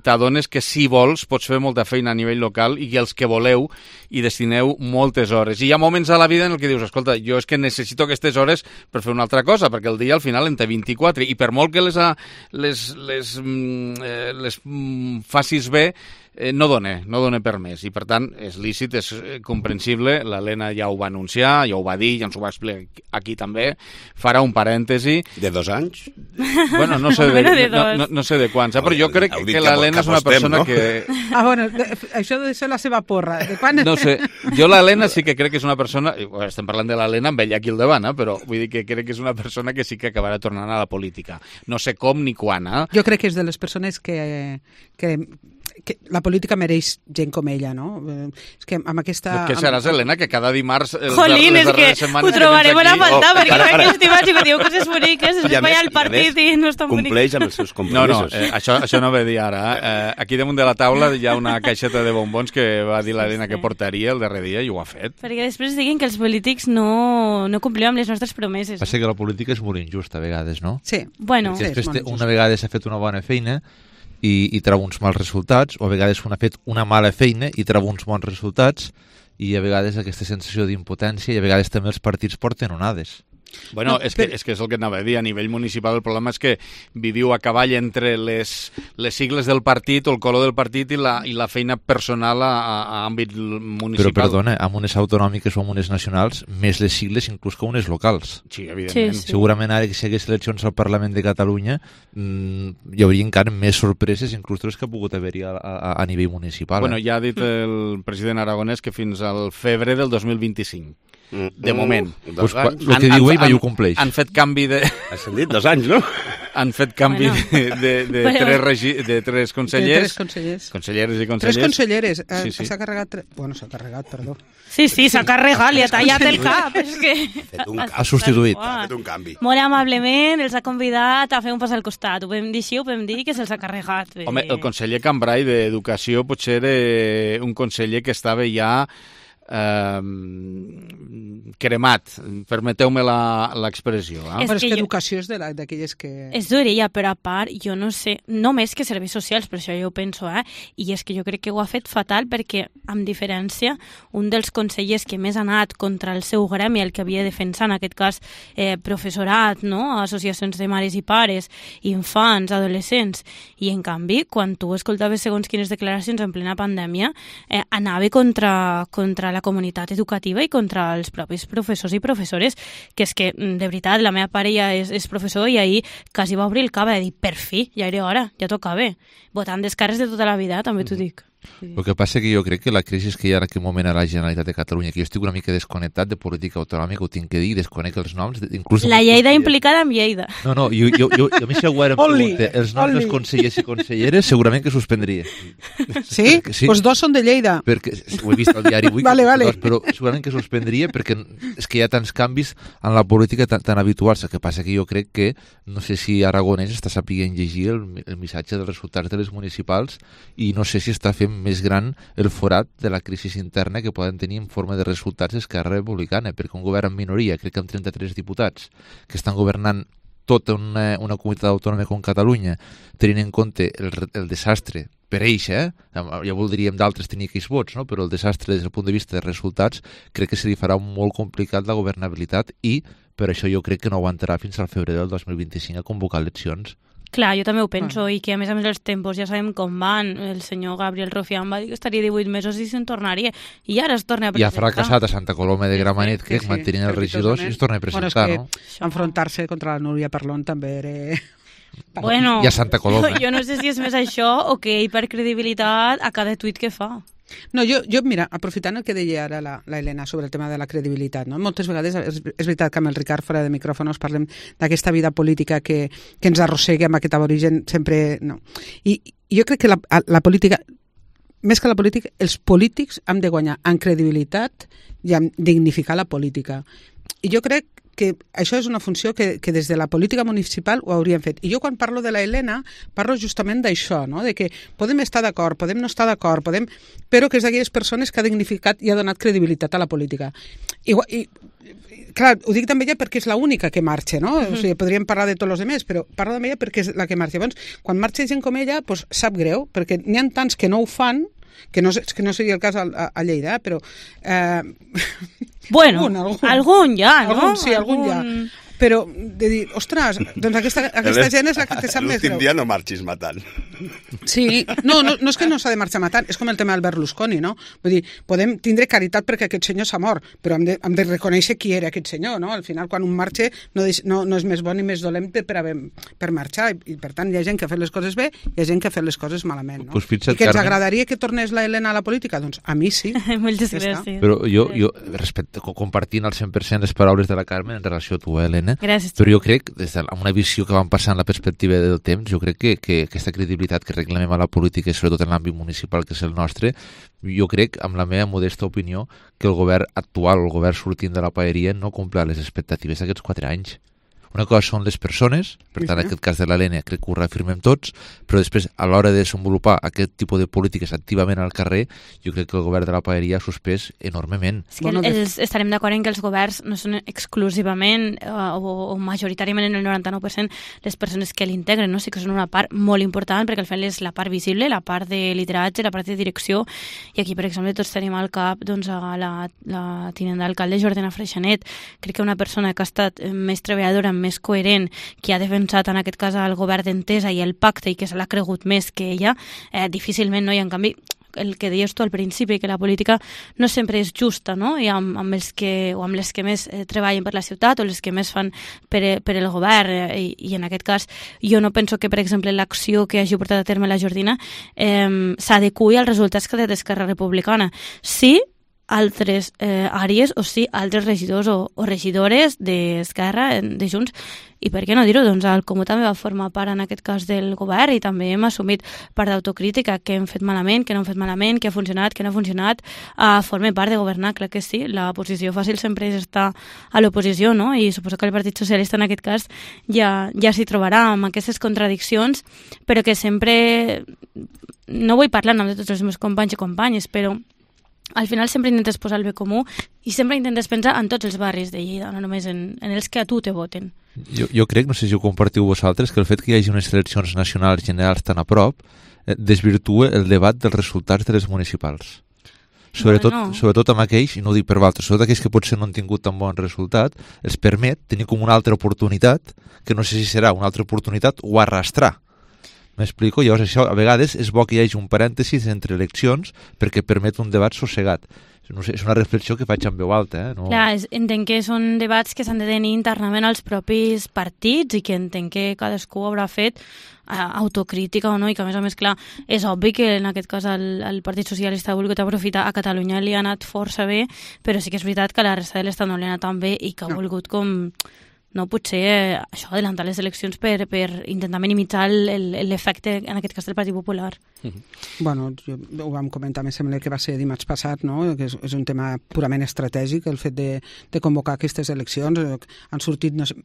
t'adones que si vols pots fer molta feina a nivell local i els que voleu hi destineu moltes hores. I hi ha moments a la vida en què dius, escolta, jo és que necessito aquestes hores per fer una altra cosa, perquè el dia al final en té 24 i per molt que les facis bé, no dona per més, i per tant és lícit, és comprensible. L'Helena ja ho va anunciar, ja ho va dir, ja ens ho va explicar aquí també, farà un parèntesi. De 2 anys? Bueno, no sé de quants, però jo crec que l'Helena és una persona que... bueno, això de ser la seva porra, de quan... No sé, jo l'Helena sí que crec que és una persona, estem parlant de l'Helena amb ella aquí al davant, però vull dir que crec que és una persona que sí que acabarà tornant a la política. No sé com ni quan, Jo crec que és de les persones que la política mereix gent com ella, no? És que amb aquesta... Què seràs, Helena, que cada dimarts... Jolín, és que ho trobarem a faltar, perquè no que estimats i me diu coses boniques, es va al partit i no és tan bonic. Compleix amb els seus compromisos. No, això no ve dir ara. Aquí damunt de la taula hi ha una caixeta de bombons que va dir l'Helena que portaria el darrer dia i ho ha fet. Perquè després diguin que els polítics no complim amb les nostres promeses. Passa que la política és molt injusta a vegades, no? Sí. Bueno, després una vegada s'ha fet una bona feina i treu uns mals resultats, o a vegades ha fet una mala feina i treu uns bons resultats, i a vegades aquesta sensació d'impotència, i a vegades també els partits porten onades. Bueno, és que és el que anava a dir. A nivell municipal el problema és que viviu a cavall entre les sigles del partit o el color del partit i la feina personal a àmbit municipal. Però perdona, amb unes autonòmiques o amb unes nacionals, més les sigles inclús que unes locals. Sí, evidentment. Sí. Segurament ara que si hi hagués eleccions al Parlament de Catalunya hi hauria encara més sorpreses inclús les que ha pogut haver-hi a nivell municipal. Bueno, ja ha dit el president aragonès que fins al febrer del 2025. De moment. El que diu ell mai ho compleix. Han fet canvi de... Has dit 2 anys, no? Han fet canvi de 3 consellers. De 3 consellers. Conselleres i consellers. 3 conselleres. Sí. S'ha carregat... Bueno, s'ha carregat, perdó. Sí, s'ha carregat, li ha tallat el cap. És que... Ha substituït. Ha fet un canvi. Molt amablement els ha convidat a fer un pas al costat. Ho podem dir així, ho podem dir que se'ls ha carregat. Home, el conseller Cambray d'Educació potser era un conseller que estava ja cremat, permeteu-me l'expressió. Però és que educació és d'aquelles que... És d'orella, però a part, jo no sé, només que serveis socials, per això jo ho penso, i és que jo crec que ho ha fet fatal perquè, amb diferència, un dels consellers que més ha anat contra el seu gremi, el que havia defensat, en aquest cas, professorat, no? Associacions de mares i pares, infants, adolescents, i en canvi, quan tu escoltaves segons quines declaracions en plena pandèmia, anava contra la comunitat educativa i contra els propis professors i professores, que és que, de veritat, la meva parella és professor i ahir quasi va obrir el cap i va dir, per fi, ja era hora, ja tocava. Votant descares de tota la vida, també t'ho dic. El que passa que jo crec que la crisi que hi ha en aquest moment a la Generalitat de Catalunya, que jo estic una mica desconnectat de política autonòmica, ho tinc que dir, desconec els noms. Inclús la Lleida implicada amb Lleida. No, jo a mi si algú ara em pregunta els noms dels consellers i conselleres, segurament que suspendria. Sí? Sí. Pues 2 són de Lleida. Perquè, ho he vist al diari avui, vale. Però segurament que suspendria perquè és que hi ha tants canvis en la política tan habituals. El que passa que jo crec que, no sé si Aragonès està sapient llegir el missatge dels resultats de les municipals i no sé si està fent més gran el forat de la crisi interna que poden tenir en forma de resultats d'Esquerra Republicana, perquè un govern en minoria, crec que amb 33 diputats, que estan governant tota una comunitat autònoma com Catalunya, tenint en compte el desastre per ells, ja voldríem d'altres tenir aquells vots, no? Però el desastre des del punt de vista de resultats crec que se li farà molt complicat la governabilitat i per això jo crec que no aguantarà fins al febrer del 2025 a convocar eleccions. Clar, jo també ho penso, i que a més els tempos ja sabem com van. El senyor Gabriel Rufián va dir que estaria 18 mesos i se'n tornaria, i ara es torna a presentar. I ha fracassat a Santa Coloma de Gramenet, crec, mantenint els regidors, i es torna a presentar, no? Enfrontar-se contra la Núria Parlon també era... Bueno, i a Santa Coloma. Jo no sé si és més això o que ell per credibilitat a cada tuit que fa. No, jo, mira, aprofitant el que deia ara la Helena sobre el tema de la credibilitat, no? Moltes vegades és veritat que amb el Ricard fora de micròfonos parlem d'aquesta vida política que ens arrossega amb aquest aborigen sempre... No. I jo crec que la política, més que la política, els polítics han de guanyar en credibilitat i en dignificar la política. I jo crec que això és una funció que des de la política municipal ho hauríem fet. I jo quan parlo de la Helena parlo justament d'això, no? De que podem estar d'acord, podem no estar d'acord, però que és d'aquelles persones que ha dignificat i ha donat credibilitat a la política. I clar, ho dic també ella perquè és l'única que marxa, no? O sigui, podríem parlar de tots els altres, però parlo d'ella perquè és la que marxa. Llavors, quan marxa gent com ella, doncs sap greu, perquè n'hi ha tants que no ho fan, que no seria el cas a Lleida, però... Bueno, algun ja, no? Algun ja. Però de dir, ostres, doncs aquesta gent és la que te sap més greu. L'últim dia no marxis matant. Sí, no és que no s'ha de marxar matant, és com el tema del Berlusconi, no? Vull dir, podem tindre caritat perquè aquest senyor s'ha mort, però hem de reconèixer qui era aquest senyor, no? Al final, quan un marxa, no és més bon ni més dolent per marxar, i per tant hi ha gent que ha fet les coses bé i hi ha gent que ha fet les coses malament, no? I que ens agradaria que tornés la Helena a la política? Doncs a mi sí. Moltes gràcies. Però jo compartint al 100% les paraules de la Carmen en relació a tu, Helena, gràcies. Però jo crec, des d'una visió que van passar en la perspectiva del temps, jo crec que aquesta credibilitat que reclamem a la política, i sobretot en l'àmbit municipal que és el nostre, jo crec, amb la meva modesta opinió, que el govern actual, el govern sortint de la paeria, no complirà les expectatives d'aquests 4 anys. Una cosa són les persones, per tant, en aquest cas de l'Helena crec que ho reafirmem tots, però després, a l'hora de desenvolupar aquest tipus de polítiques activament al carrer, jo crec que el govern de la paeria ha suspès enormement. És que estarem d'acord en que els governs no són exclusivament o majoritàriament en el 99% les persones que l'integren, no? Sí que són una part molt important, perquè al final és la part visible, la part de lideratge, la part de direcció, i aquí, per exemple, tots tenim al cap doncs, a la tinent d'alcalde Jordana Freixanet. Crec que una persona que ha estat més treballadora, més coherent, que ha defensat en aquest cas el govern d'Entesa i el pacte i que se l'ha cregut més que ella, difícilment, no? I en canvi el que deies tu al principi, que la política no sempre és justa, no? I amb les que més treballen per la ciutat o les que més fan per el govern, i en aquest cas jo no penso que, per exemple, l'acció que hagi portat a terme la Jordina s'adeqüi als resultats que té d'Esquerra Republicana. Sí, altres àrees o sí, altres regidors o regidores d'Esquerra, de Junts, i per què no dir-ho? Doncs el Comú també va formar part en aquest cas del govern i també hem assumit part d'autocrítica, que hem fet malament, que no hem fet malament, que ha funcionat, que no ha funcionat, forma part de governar, clar que sí. La posició fàcil sempre és estar a l'oposició, no? I suposo que el Partit Socialista en aquest cas ja s'hi trobarà amb aquestes contradiccions, però que sempre, no vull parlar en nom de tots els meus companys i companyes, però al final sempre intentes posar el bé comú i sempre intentes pensar en tots els barris de Lleida, no només en els que a tu te voten. Jo crec, no sé si ho compartiu vosaltres, que el fet que hi hagi unes eleccions nacionals generals tan a prop desvirtua el debat dels resultats de les municipals. Sobretot amb aquells, i no ho dic per altres, sobretot aquells que potser no han tingut tan bon resultat, els permet tenir com una altra oportunitat, que no sé si serà una altra oportunitat o arrastrar. M'explico? Llavors això a vegades és bo que hi hagi un parèntesis entre eleccions perquè permet un debat sossegat. No sé, és una reflexió que faig en veu alta. No... Clar, entenc que són debats que s'han de tenir internament als propis partits i que entenc que cadascú haurà fet autocrítica o no, i que a més, clar, és obvi que en aquest cas el Partit Socialista ha volgut aprofitar. A Catalunya li ha anat força bé, però sí que és veritat que a la resta de l'Estat no li ha anat tan bé i que ha volgut com... no, potser això, adelantar les eleccions per intentar minimitzar l'efecte, en aquest cas, del Partit Popular. Bueno, ho vam comentar, em sembla que va ser dimarts passat, no? Que és un tema purament estratègic, el fet de convocar aquestes eleccions. Han sortit, no sé,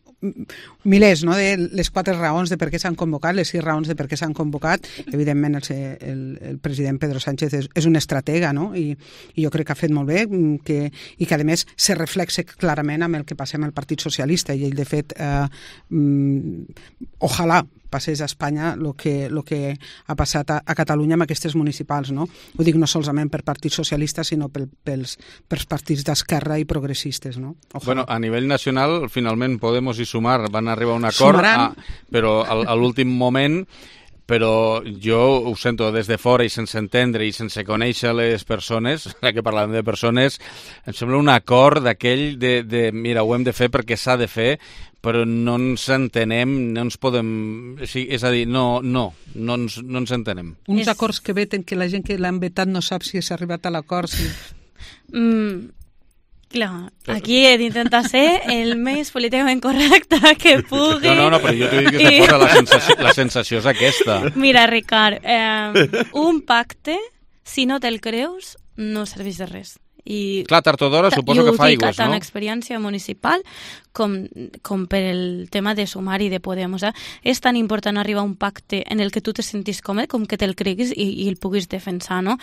milers, no?, de les 4 raons de per què s'han convocat, les 6 raons de per què s'han convocat. Evidentment, el president Pedro Sánchez és un estratega, no?, i jo crec que ha fet molt bé, i que, a més, se reflexa clarament amb el que passa amb el Partit Socialista, i ell, de fet, ojalà passés a Espanya el que ha passat a Catalunya amb aquestes municipals, no? Ho dic no solament per Partit Socialista, sinó pels partits d'esquerra i progressistes, no? Ojalà. Bueno, a nivell nacional, finalment Podemos i Sumar van arribar a un acord, però a l'últim moment però jo ho sento des de fora i sense entendre i sense conèixer les persones, ja que parlàvem de persones, em sembla un acord d'aquell de mira, ho hem de fer perquè s'ha de fer, però no ens entenem, no ens podem... És a dir, no ens entenem. Uns acords que veten que la gent que l'han vetat no sap si s'ha arribat a l'acord. Si... Clar, aquí he d'intentar ser el més políticament correcte que pugui. No, però jo t'ho dic des de fora, la sensació és aquesta. Mira, Ricard, un pacte, si no te'l creus, no serveix de res. Clar, tard o d'hora suposo que fa aigües, no? Tant experiència municipal com per el tema de Sumar i de Podemos. És tan important arribar a un pacte en el que tu te sentis còmode com que te'l creguis i el puguis defensar, no?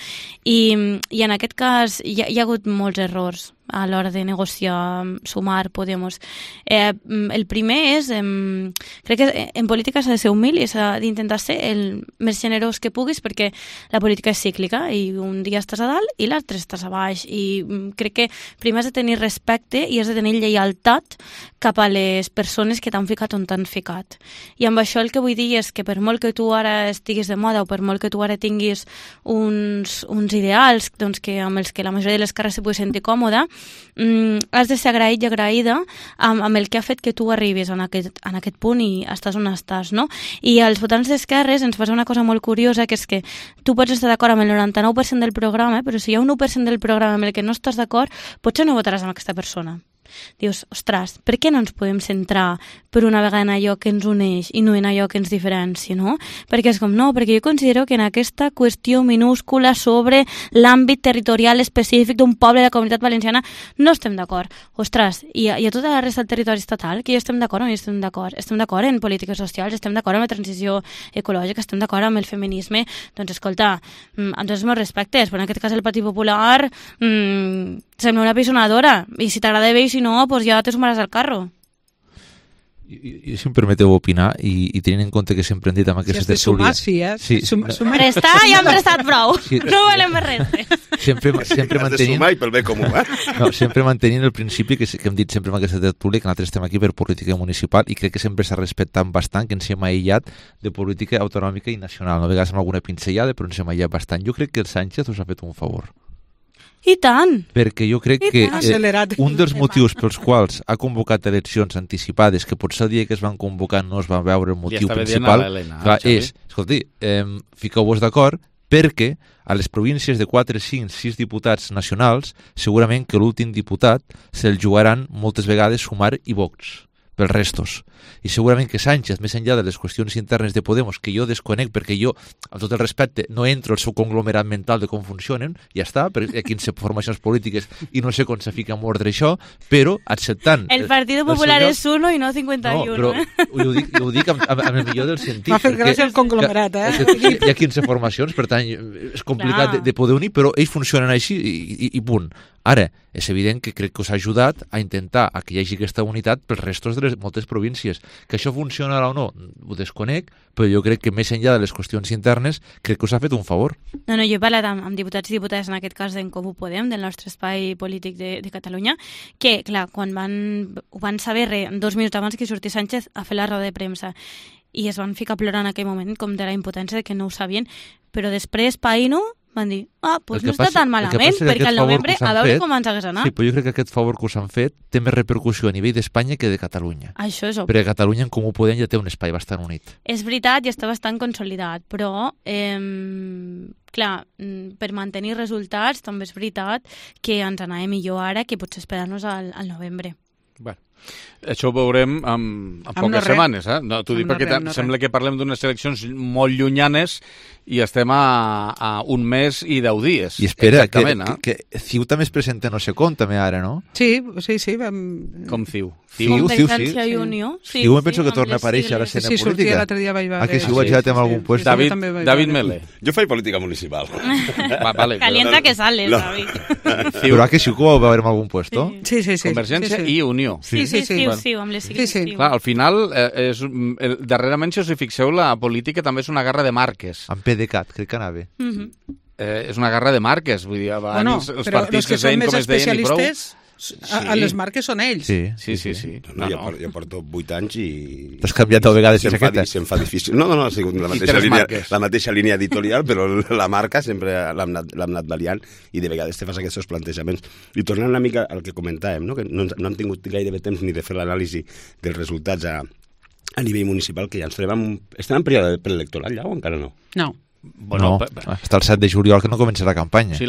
I en aquest cas hi ha hagut molts errors a l'hora de negociar Sumar, Podemos. El primer és, crec que en política s'ha de ser humil i s'ha d'intentar ser el més generós que puguis, perquè la política és cíclica i un dia estàs a dalt i l'altre estàs a baix, i crec que primer has de tenir respecte i has de tenir lleialtat cap a les persones que t'han ficat on t'han ficat. I amb això el que vull dir és que per molt que tu ara estiguis de moda o per molt que tu ara tinguis uns ideals doncs, amb els que la majoria de les cares se pugui sentir còmoda, has de ser agraït i agraïda amb el que ha fet que tu arribis en aquest punt i estàs on estàs, no? I als votants d'esquerres ens passa una cosa molt curiosa, que és que tu pots estar d'acord amb el 99% del programa, però si hi ha un 1% del programa amb el que no estàs d'acord, potser no votaràs amb aquesta persona. Dius, ostres, per què no ens podem centrar per una vegada en allò que ens uneix i no en allò que ens diferencia, no? Perquè és com, no, perquè jo considero que en aquesta qüestió minúscula sobre l'àmbit territorial específic d'un poble de la Comunitat Valenciana no estem d'acord. Ostres, i a tota la resta del territori estatal, que hi estem d'acord o no hi estem d'acord? Estem d'acord en polítiques socials, estem d'acord amb la transició ecològica, estem d'acord amb el feminisme, doncs escolta, amb tots els meus respectes, però en aquest cas el Partit Popular sembla una pisonadora, i si t'agrada bé i si no, pues ja te sumaràs al carro. I si em permeteu opinar, i tenint en compte que sempre hem dit amb aquesta tertúlia... Si has de sumar, sí. Prestar ja hem prestat prou. Sí. No volem res. Sempre mantenint... de sumar i pel bé comú, No, sempre mantenint el principi que hem dit sempre amb aquesta tertúlia, que nosaltres estem aquí per política municipal, i crec que sempre s'ha respectat bastant, que ens hem aïllat de política autonòmica i nacional. No, a vegades amb alguna pinzellada, però ens hem aïllat bastant. Jo crec que el Sánchez us ha fet un favor. I tant! Perquè jo crec que un dels motius pels quals ha convocat eleccions anticipades, que potser el dia que es van convocar no es va veure el motiu principal, és, escolti, fiqueu-vos d'acord, perquè a les províncies de 4, 5, 6 diputats nacionals, segurament que l'últim diputat se'l jugaran moltes vegades Sumar i Vox, pels restos. I segurament que Sánchez, més enllà de les qüestions internes de Podemos, que jo desconec perquè jo, amb tot el respecte, no entro al seu conglomerat mental de com funcionen, ja està, perquè hi ha 15 formacions polítiques i no sé com se fica en ordre això, però acceptant... El Partit Popular és 1 i no 51. No, però ho dic amb el millor del sentit. M'ha fet gràcia el conglomerat, Hi ha 15 formacions, per tant, és complicat de poder unir, però ells funcionen així i punt. Ara, és evident que crec que us ha ajudat a intentar que hi hagi aquesta unitat pels restos de moltes províncies. Que això funcionarà o no, ho desconec, però jo crec que més enllà de les qüestions internes, crec que us ha fet un favor. No, jo he parlat amb diputats i diputades, en aquest cas d'en Comú Podem, del nostre espai polític de Catalunya, que, clar, quan ho van saber 2 minuts abans que sortís Sánchez a fer la roda de premsa, i es van ficar a plorar en aquell moment com de la impotència de que no ho sabien, però després Païno van dir, doncs no està tan malament, perquè al novembre a veure com ens hagués anat. Sí, però jo crec que aquest favor que us han fet té més repercussió a nivell d'Espanya que de Catalunya. Això és obvi. Perquè Catalunya, en Comú Podem, ja té un espai bastant unit. És veritat i està bastant consolidat, però, clar, per mantenir resultats també és veritat que ens anava millor ara que potser esperar-nos al novembre. Bueno, això ho veurem en poques setmanes. No, t'ho dic perquè sembla que parlem d'unes eleccions molt llunyanes i estem a un mes i 10 dies. I espera, que CiU també es presenta no sé com, també ara, no? Sí. Com CiU? Convergència i Unió. CiU em penso que torna a aparèixer a l'escena política. Sí, sortia l'altre dia vaig veure. Que CiU ha girat en algun puesto. David Mele. Jo faig política municipal. Calienta que sales, David. Però que CiU va veure en algun puesto? Sí. Convergència i Unió. Sí, amb les sigles. Clar, al final, darrerament, si us hi fixeu, la política també és una guerra de marques. Amb PDeCAT, crec que anava. És una guerra de marques, vull dir, abans els partits que són més com es deien i prou... Les marques són ells. Sí. No, jo porto 8 anys i... T'has canviat a vegades jaqueta. Se'm fa difícil. No, ha sigut la mateixa línia editorial, però la marca sempre l'hem anat variant i de vegades te fas aquests plantejaments. I tornant una mica al que comentàvem, no? Que no hem tingut gairebé temps ni de fer l'anàlisi dels resultats a nivell municipal, que ja ens trobem... Estem en període preelectoral ja o encara no? No. Bueno, està el 7 de juliol que no comença la campanya. Sí,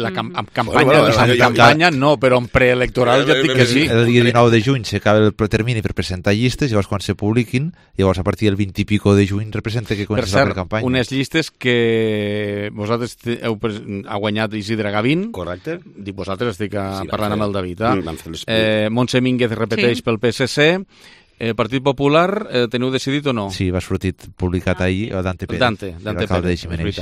campanya no, però en preelectoral ja et dic que sí. El dia 19 de juny s'acaba el termini per presentar llistes, llavors quan se publiquin, llavors a partir del 20 i pico de juny representa que comença la campanya. Unes llistes que vosaltres ha guanyat Isidre Gavín. Correcte. Dic vosaltres, estic parlant amb el David. Montse Mínguez repeteix pel PSC. El Partit Popular teniu decidit o no? Sí, va sortir publicat ahir Dante Pérez, l'alcalde de Ximeneix.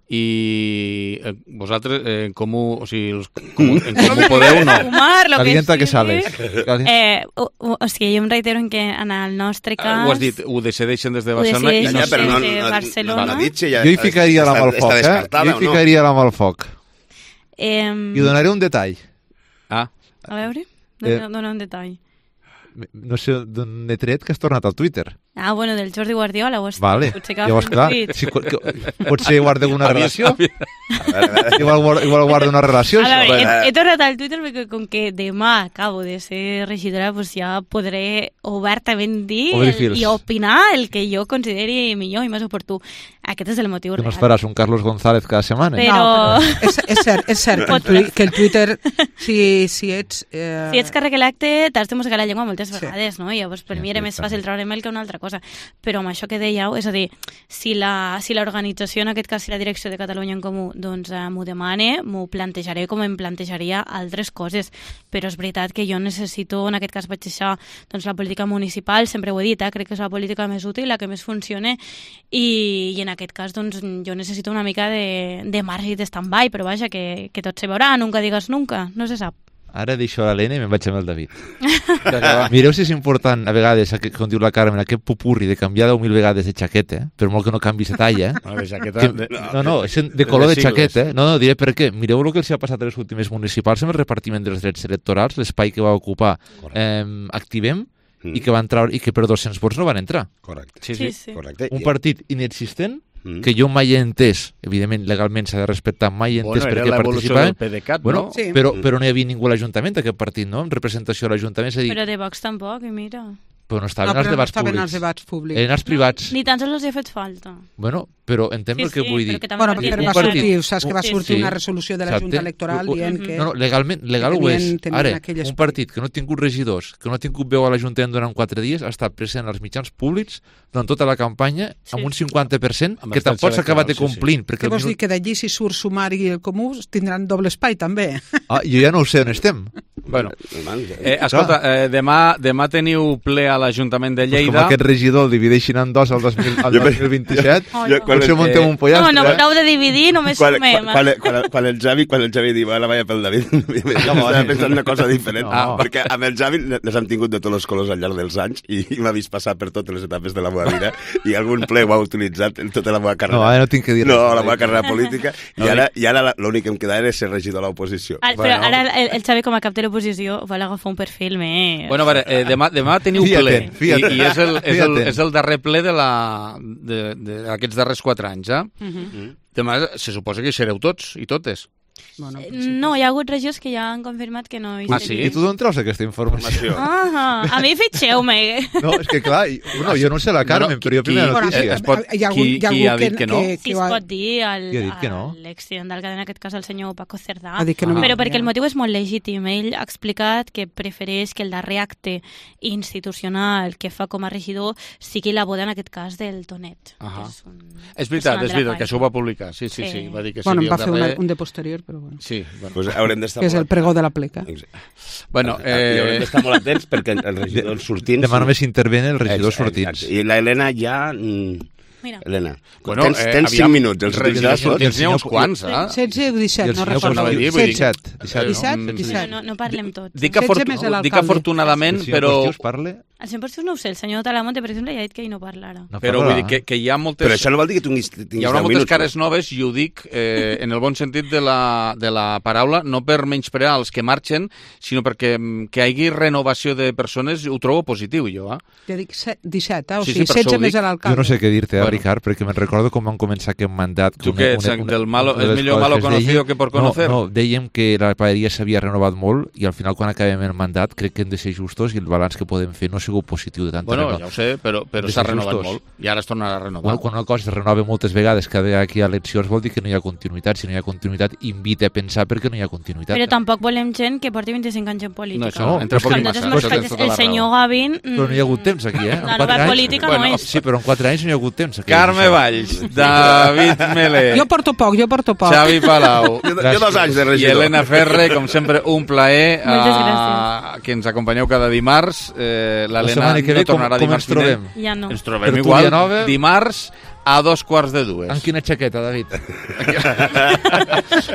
I vosaltres comú, o sigui, en comú podeu no? Calienta que sales. O sigui, jo em reitero en que en el nostre cas... Ho has dit, ho decideixen des de Barcelona? Barcelona. Jo hi ficaria la mà al foc, Jo hi ficaria la mà al foc. I donaré un detall. A veure, dona un detall. No sé d'on he tret que has tornat al Twitter. Bueno, del Jordi Guardiola. Vale, llavors clar, potser guarda alguna relació. Igual guarda una relació. He tornat al Twitter perquè com que demà acabo de ser regidora, pues ja podré obertament dir i opinar el que jo consideri millor i més oportú. Aquest és el motiu real. No esperàs un Carlos González cada setmana? Però... És cert que el Twitter, si ets... Si ets càrrec electe, t'has de mossegar la llengua moltes vegades, no? I llavors per mi era més fàcil treure mail que una altra cosa. Però amb això que dèieu, és a dir, si l'organització, en aquest cas, si la direcció de Catalunya en Comú, doncs m'ho demane, m'ho plantejaré com em plantejaria altres coses. Però és veritat que jo necessito, en aquest cas vaig deixar doncs, la política municipal, sempre ho he dit, crec que és la política més útil, la que més funciona, i en aquest cas doncs, jo necessito una mica de marge i de stand-by, però vaja, que tot se veurà, nunca digues nunca, no se sap. Ara deixo l'Helena i me'n vaig amb el David. Mireu si és important, a vegades, com diu la Carmen, aquest pupurri de canviar 10.000 vegades de xaqueta, per molt que no canvis de talla. No, és de color de xaqueta. No, diré per què. Mireu el que els ha passat a les últimes municipals amb el repartiment dels drets electorals, l'espai que va ocupar Activem, i que van treure, i que per 200 vots no van entrar. Correcte. Sí. Correcte. Un partit inexistent, que jo mai he entès, evidentment legalment s'ha de respectar, mai he entès per què participaven, però no hi havia ningú a l'Ajuntament d'aquest partit, no? En representació a l'Ajuntament. Però de Vox tampoc, i mira... Però no estaven als debats públics. Eren els privats. Ni tan sols els hi ha fet falta. Bueno, però entenc el que vull dir. Bueno, però va sortir, saps que va sortir una resolució de la Junta Electoral dient que... No, legal ho és. Ara, un partit que no ha tingut regidors, que no ha tingut veu a l'Ajuntament durant 4 dies, ha estat present als mitjans públics durant tota la campanya amb un 50% que tampoc s'ha acabat de complint. Què vols dir? Que d'allí si surt Sumari i el Comú tindran doble espai també? Jo ja no ho sé on estem. Bueno, escolta, demà teniu ple a l'Ajuntament de Lleida. Com aquest regidor el divideixin en dos al 2027, potser muntem un pollastre. No prou de dividir, només sumem. Quan el Xavi diu, ara vaja pel David, estava pensant una cosa diferent, perquè amb el Xavi les hem tingut de tots els colors al llarg dels anys i m'ha vist passar per totes les etapes de la meva vida i algun ple ho ha utilitzat en tota la meva carrera. No, ara no tinc que dir res. No, la meva carrera política, i ara l'únic que em queda és ser regidor a l'oposició. Però ara el Xavi com a cap de l'oposició vol agafar un perfil més... Bueno, a veure, demà teniu ple. I és el darrer ple d'aquests darrers 4 anys, Demà se suposa que hi sereu tots i totes. No, hi ha hagut regidors que ja han confirmat que no hi serien. Sí? I tu d'on treus aquesta informació? A mi fitxeu-me. No, és que clar, jo no sé la Carmen, però jo primera notícia. Qui ha dit que no? Sí, es pot dir l'exsident d'alcalde, en aquest cas el senyor Paco Cerdà, però perquè el motiu és molt legítim. Ell ha explicat que prefereix que el darrer acte institucional que fa com a regidor sigui la boda, en aquest cas, del Tonet. És veritat, que això ho va publicar. Sí, va dir que seria el darrer... Bueno, va fer un de posterior, però bueno. Sí, pues haurem d'estar que és el pregó de la pleca. Bueno, i haurem d'estar molt atents perquè els regidors sortints... Demà només intervenen els regidors sortints. I la Helena ja... Mira. Helena, tens 5 minuts. Els regidors sortints n'hi ha uns quants, 16 o 17, no recordo. 17. No parlem tots. Dic afortunadament, però... El 100% no ho sé, el senyor Talamonte, per exemple, ja ha dit que ell no parlarà. Però vull dir que hi ha moltes... Però això no vol dir que tinguis hi haurà moltes cares noves, i ho dic en el bon sentit de la paraula, no per menysprear els que marxen, sinó perquè que hi hagi renovació de persones ho trobo positiu, jo. Ja dic 17, o Sí, sigui, per això 16 ho més dic. a l'alcalde. Jo no sé què dir-te, Ricard, perquè me'n recordo com vam començar aquest mandat. Tu què ets, del malo, és millor malo conocido que por conocer? No, dèiem que la paeria s'havia renovat molt i al final quan acabem el mandat crec que hem de ser justos i el balanç que podem fer no ha sigut positiu de tanta Bueno, ja ho sé, però s'ha renovat molt i ara es tornarà a renovar. Quan una cosa es renova moltes vegades cada vegada que hi ha eleccions vol dir que no hi ha continuïtat. Si no hi ha continuïtat, invita a pensar perquè no hi ha continuïtat. Però tampoc volem gent que porti 25 anys en política. No, això, entre poc i massa. El senyor Gavin... Però no hi ha hagut temps aquí, eh? La nova política no és. Sí, però en 4 anys no hi ha hagut temps. Carme Valls, David Melé. Jo porto poc. Xavi Palau. Jo 2 anys de regidor. I Helena Ferre, com sempre, un plaer que ens acompanyeu cada dimarts. L'Helena no tornarà dimarts vinent. Ja no. Ens trobem igual dimarts a 2:45. En quina xaqueta, David?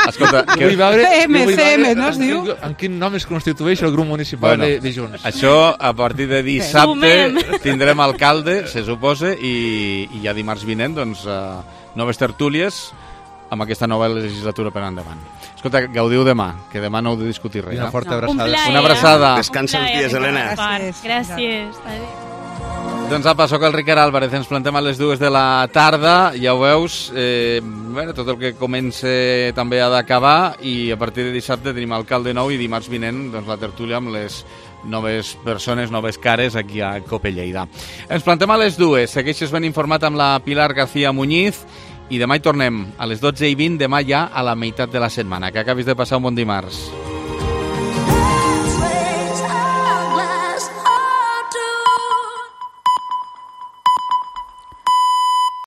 Escolta, CM, no es diu? En quin nom es constitueix el grup municipal de Junts? Això, a partir de dissabte, tindrem alcalde, se suposa, i ja dimarts vinent, doncs, noves tertúlies amb aquesta nova legislatura per endavant. Escolta, gaudiu demà, que demà no heu de discutir res. Una forta abraçada. Una abraçada. Descansa els dies, Helena. Gràcies. Doncs apa, soc el Ricard Álvarez, ens plantem a les 2 de la tarda, ja ho veus, tot el que comença també ha d'acabar, i a partir de dissabte tenim alcalde nou i dimarts vinent doncs, la tertúlia amb les noves persones, noves cares aquí a Cope Lleida. Ens plantem a les 2, segueixes ben informat amb la Pilar García Muñiz, i demà hi tornem a les 12:20, demà ja a la meitat de la setmana. Que acabis de passar un bon dimarts.